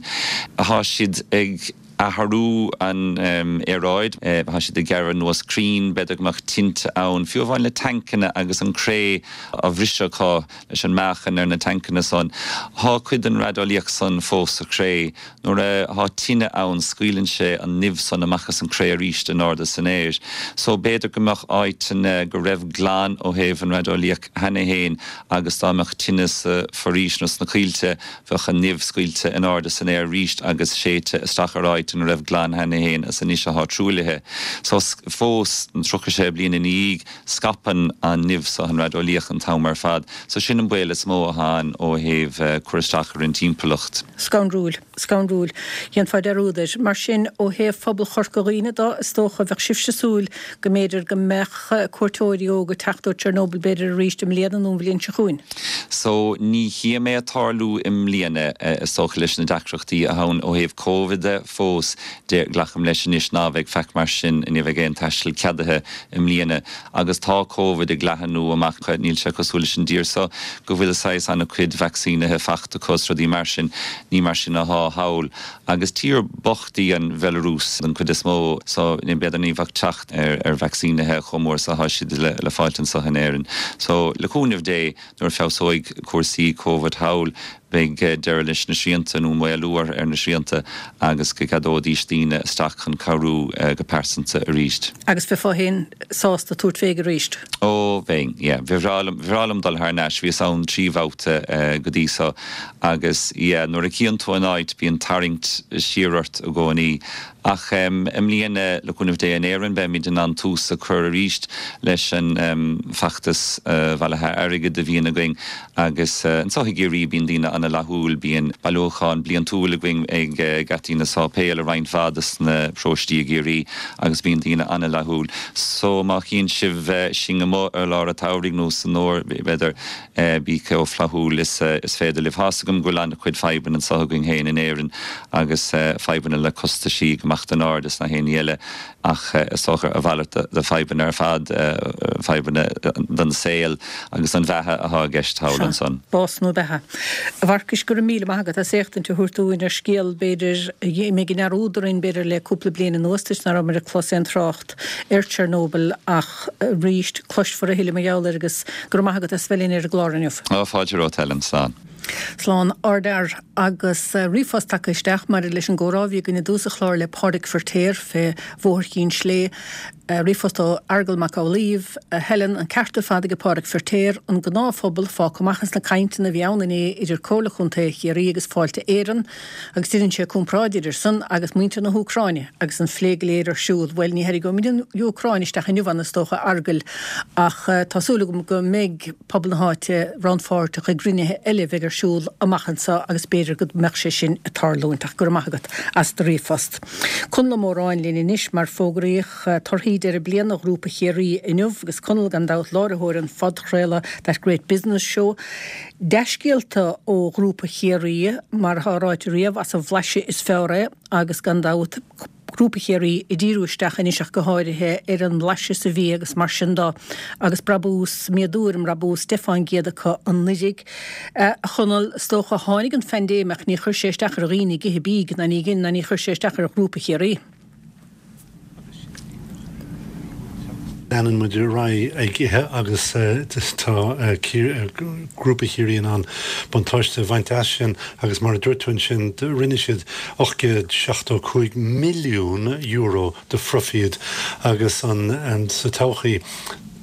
Tá siad ag athrú an aeráid, tá siad ag gearradh anuas crainn, b'fhéidir go mbeadh tinte ann, fiú amháin le tancanna agus an cré á bhriseadh acu leis an meáchan ar na tancanna san. Tá cuid den raideolaíocht san fós sa chré. Nuair a thá tine ann scaoileann sé an nimh san amach as an chré arís in airde san aer. So b'fhéidir go mbeadh áiteanna go raibh glan ó thaobh an raideolaíocht cheana fhéin agus dá mbeadh tine sa foraois nó sna coillte, Bheadh an nimh scaoilte in airde san aer arís agus séidte isteach ar áit ina raibh glan cheana fhéin is anois athá truaillithe. So, fós, 36 bliain ina dhiaidh, scaipeann an nimh so, an raideolaíocht, an t-am ar fad. So, sin an baol is mó athá ann ó thaobh cur isteach ar an timpeallacht. Scanrúil. Scanrúil. Dhéanfá dearúd air. Mar sin, ó thaobh phobal Chorca Dhuibhne de, is dócha, bheadh sibhse ag súil go mb'fhéidir go mbeadh cuairteoirí óga ag teacht ó Chernobyl b'fhéidir arís i mbliana nó an bhliain seo chugainn. So, ní chím é ag tarlú i mbliana, is dócha, leis na deacrachtaí atá ann ó thaobh Covid de fós, de, glacaim leis anois ná bheidh faic mar sin, ní bheidh aon taisteal ceadaithe i mbliana. Agus tá Covid ag leathanú amach, níl sé cosúil leis an dtír so go bhfuil saghas an-chuid vacsaínithe fachta acu is rudaí mar sin, ní mar sin athá thall. Agus tír bocht í an Bhelarúis den chuid is mó so b'fhéidir ní bheadh teacht ar vacsaínithe chomh mór is athá siad le fáilt anso in Éirinn. So le cúnamh Dé nuair a feabhsóidh cúrsaí Covid thall beidh deireadh leis na srianta nó maolú ar na srianta agus go gceadóidís daoine isteach chun cabhrú go pearsanta arís. Agus bheifeá féin sásta tabhairt féig arís? Ó bheinn, yeah. Ba bhreá liom, ba bhreá liom dul thar n-ais. Bhíos ann 3 bhabhta go dtí so Agus yeah, nuair a chíonn tú an áit, bíonn tarraingt siar ort i gcónaí. Ach i mbliana, le cúnamh Dé, in Éirinn, beimid in ann tús a chur arís leis an bhfeachtas bhailithe airgid a bhíonn againn. Agus anseo i gCiarraí, bíonn daoine an-fhlaithiúil, bíonn bailiúchán bliantúil againn ag geataí na sáipéal i roinnt mhaith de na paróistí i gCiarraí agus bíonn daoine an-fhlaithiúil. So má chíonn sibh sinn amuigh ar lár an tsamhraidh nó san fhómhar, b'fhéidir, Bí chomh flaithiúil is is féidir libh. Tá's agam go bhfuil an-chuid fadhbanna anseo againn féin in Éirinn agus fadhbanna le costaisí ag imeacht in airde is na haon ní eile ach is dócha a mhalairt de fadhbanna ar fad, fadhbanna don saol agus don bheatha athá i gceist thall ansan. Bás nó beatha. A Mharcais, go raibh míle maith agat as éachtaint a thabhairt dúinn ar scéal b'fhéidir a d'imigh i ndearúd orainn b'fhéidir le cúpla bliain anuas toisc nach rabhamar ag clos aon trácht ar Chernobyl ach arís cloisfear a thuilleadh mar gheall air agus go raibh maith agat as bheith linn ar an gclár inniu. Ó, fáilte romhat, Helen. Slán. Slán, ardfhear. Agus ríomhphost tagtha isteach maidir leis an gcomhrá a bhí againn i dtús an chláir le Pádraig Firtéar fé Bhóthar Chinn Slé. Ríomhphost ó Fheargal Mac Amhlaoibh, A Helen, an ceart ar fad ag Pádraig Firtéar, an gnáthphobal fágtha amach as na cainteanna a bhí ann inné idir Comhairle Chontae Chiarraí agus Fáilte Éireann. Agus deineann sé comparáid idir san agus muintir na hÚcráine agus an phlé go léir ar siúl. Bhuel, ní tharraingeoimid an Úcráin isteach inniu ann is dócha, a Fheargail, ach tá súil agam go mbeidh pobal na háite rannpháirteach i gcruinnithe eile a bheidh ar siúl amach anseo agus b'fhéidir go mbeadh sé sin ag tarlúint. Ach go raibh maith agat as do ríomhphost. Conall Ó Móráin linn anois mar fógraíodh torthaí deireadh bliana Ghrúpa Chiarraí inniu agus Conall gan dabht láithreoir an phodchraoladh That Great Business Show. Dea-scéalta ó Ghrúpa Chiarraí, mar atá ráite riamh, as an bhlaiseadh is fearr é agus gan dabht. Grúpa Chiarraí ag díriú isteach anois ach go háirithe ar an mblaiseadh sa bhia agus mar sin dó agus brabús, méadú ar an mbrabús 10% acu anuiridh. A Chonaill, is dócha, tháinig an phaindéim ach ní chuir sé isteach ar dhaoine ag ithe bídh ná ní dhein ná ní chuir sé isteach ar Ghrúpa Chiarraí. Leanann muid ar aghaidh ag ithe agus tá Grúpa Chiarraí in ann buntáiste a bhaint as sin agus mar a dúirt tú ansin rinne siad €875 milliún de phroifíd agus an sa todhchaí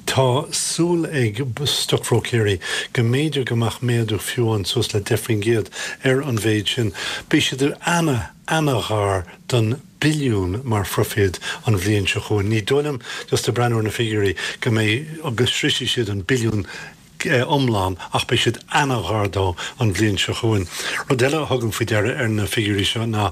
tá súil ag stocbhróicéirí go mb'fhéidir go mbeadh méadú fiú amháin suas le 10% ar an mhéid sin. Beidh siad ana, ana-ghar don billiún mar phroifíd an bhliain seo chugainn. Ní dóigh liom, just ag breathnú ar na figiúirí, go mbeidh, go sroisfidh siad an billiún iomlán ach beidh siad ana-ghar dó an bhliain seo chugainn. Rud eile a thugaim faoi deara ar na figiúirí seo ná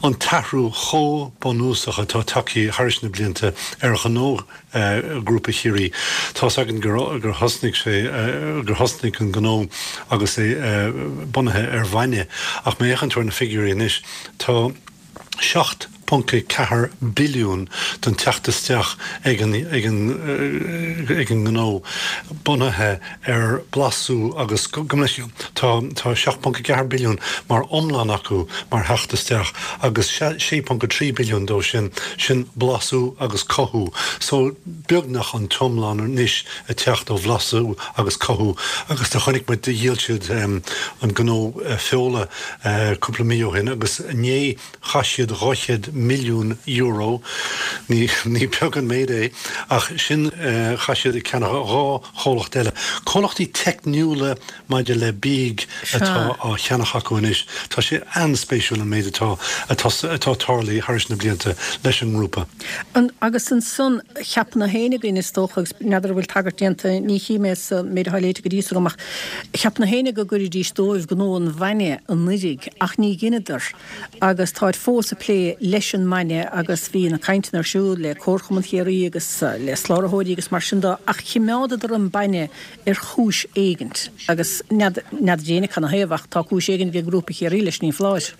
an t-athrú chomh bunúsach atá tagtha thairis na blianta ar ghnó Ghrúpa Chiarraí. Tá's againn gur thosnaigh sé, gur thosnaigh an gnó agus é bunaithe ar bhainne ach má fhéachann tú ar na figiúirí anois tá 7.4 billiún den teacht isteach ag an ag an ag an ngnó bunaithe ar bhlasú agus go tá tá 7.4 billiún mar iomlán acu mar theacht isteach agus 6.3 billiún dó sin sin blasú agus cothú so beagnach an t-iomlán anois ag teacht ó bhlasú agus cothú agus do chonaic muid do dhíol siad an gnó feola cúpla mí ó shin agus inné chaith siad €200 milliún, ní ní beag an méid é, ach sin chaith siad ag ceannach dhá chomhlacht eile. Comhlachtaí teicniúla maidir le bídh atá á cheannach acu anois. Tá sé an-spéisiúil an méid atá atá atá tarlaithe thairis na blianta leis an ngrúpa. An, agus ansan, cheap nach éinne againn, is dócha, agus n'fheadar an bhfuil tagairt déanta, ní chím é sa méid atá léite go dtí so agam, ach cheap nach éinne go gcuirfidís dóibh gnó an bhainne anuiridh, ach ní dheineadar, agus táid fós ag plé leis an mbainne, agus bhí na cainteanna ar siúl le Comharchumann Chiarraí agus le slabhraitheoirí agus mar sin de, ach chimeádadar an bainne ar chúis éigint, agus n'fheadar, n'fheadar d'éinne canathaobh, ach tá cúis éigint ag Grúpa Chiarraí leis, ní foláir.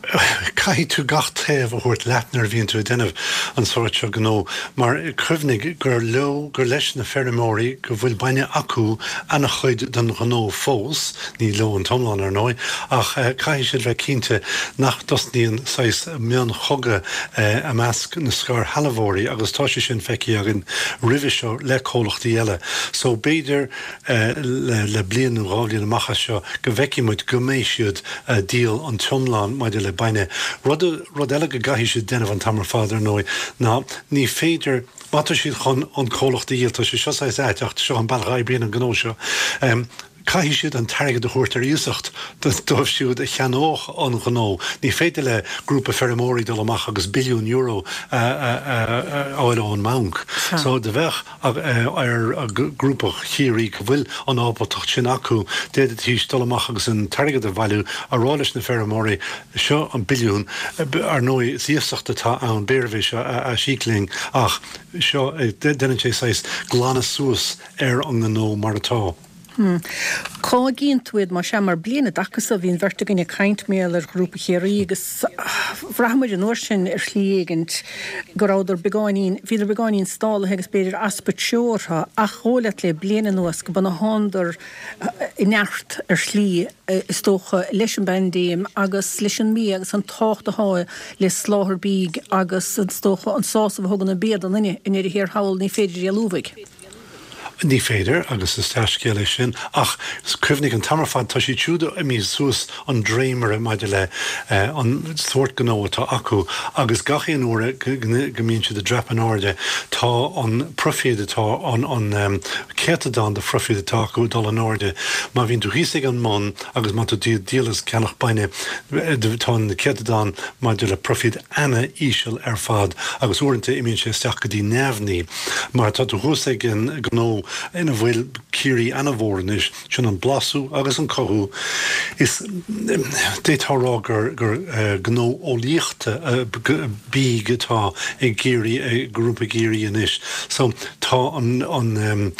Caithfidh tú gach taobh a thabhairt leat nuair a bhíonn tú ag déanamh an sórt seo gnó mar cuimhnigh gur leo, gur leis na feirmeoirí go bhfuil bainne acu ana-chuid den ghnó fós, ní leo an t-iomlán ar ndóigh, ach caithfidh siad bheith cinnte nach dtosnaíonn saghas mionchogadh i measc na scairshealbhóirí agus tá sé sin feicthe againn roimhe seo le comhlachtaí eile. So b'fhéidir le bliain nó dhá bhliain amach as seo go bhfeicfidh muid go mbeidh siad a' díol an t-iomlán maidir le bainne. Rud, rud eile go gcaithfidh siad déanamh an t-am ar fad, ar ndóigh, ná ní féidir, má tá siad chun an comhlacht a dhíol, tá sé seo saghas ait ach seo an bealach a oibríonn an gnó seo, caithfidh siad an t-airgead a thabhairt ar iasacht dóibh siúd a cheannódh an gnó. Ní féidir le grúpa feirmeoirí dul amach agus billiún euro a fháil ón mbanc. So, do bheadh. ar Ghrúpa Chiarraí go bhfuil an ábaltacht sin acu, d'fhéadfaidís dul amach agus an t-airgead a bhailiú, a rá leis na feirmeoirí, seo an billiún, ar ndóigh is iasacht atá ann, b'fhéidir é seo a aisíoc linn ach seo, déanann sé saghas glanadh suas ar an ngnó mar atá. Cá gcíonn tú iad, más ea, mar bliain i dtaca so bhí an bheirt againn ag caint mar gheall ar Ghrúpa Chiarraí agus bhraith muid an uair sin ar shlí éigint go rabhadar beagáinín, bhíodar beagáinín stálaithe agus b'fhéidir easpa treo orthu ach dhóigh leat le bliain anuas go b'ionann thánadar i neart ar shlí is dócha leis an bpaindéim agus leis an mbia agus an tábhacht atá le soláthar bídh agus is dócha an sásamh a thugann an bia don duine i ndeireadh thiar thall ní féidir éalú uaidh. Ní féidir, agus is dea-scéal é sin, ach cuimhnigh an t-am ar fad, tá siad siúd imithe suas an dréimire maidir le an sórt gnó atá acu agus gach aon uair go mbíonn siad ag dreapadh in airde, tá an proifíd atá, an céatadán de phroifíd atá acu ag dul in airde. Má bhíonn tú thíos ag an mbun agus má tá tú ag díol is ceannach bainne, tá an céatadán maidir le proifíd ana-íseal ar fad agus uaireanta imíonn sé isteach go dtí neamhní. Mar tá tú thuas ag an ngnó ina bhfuil Ciarraí ana-mhór anois, sin an blasú agus an cothú. Is d'fhéadfá a rá gur gnó eolaíochta bídh atá ag Ciarraí, ag Grúpa Chiarraí anois. So tá. Tá an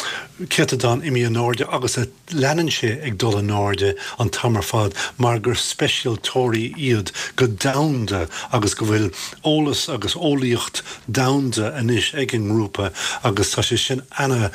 céatadán imithe in airde agus leanann sé ag dul in airde an t-am ar fad mar gur speisialtóirí iad go domhanda agus go bhfuil eolas agus eolaíocht domhanda anois ag an ngrúpa agus tá sé sin ana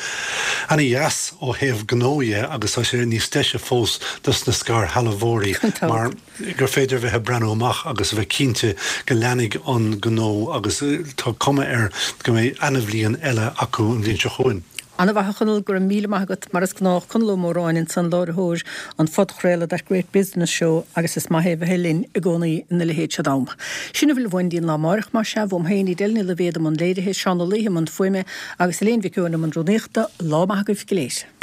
ana-dheas ó thaobh gnó dhe agus tá sé níos deise fós dos na scairshealbhóirí mar gur féidir a bheith ag breathnú amach agus a bheith cinnte go leanfaidh an gnó agus tá cuma air go mbeidh ana-bhliain eile acu an bhliain seo chugainn. Ana-mhaith a Chonaill, go raibh míle maith agat, mar is gnách, Conall Ó Móráin ansan, láithreoir an phodchraoladh That Great Business Show agus is maith é bheith linn i gcónaí ina leithéid seo d'am. Sin a bhfuil uainn go dtí an lá amáireach, más ea, uaim féin, Edel Ní Loibhéad i mbun léirithe, Seán Ó Laoithe i mbun fuaime agus Elaine Mhic Eoin i mbun rúnaíochta, lá maith agaibh go léir.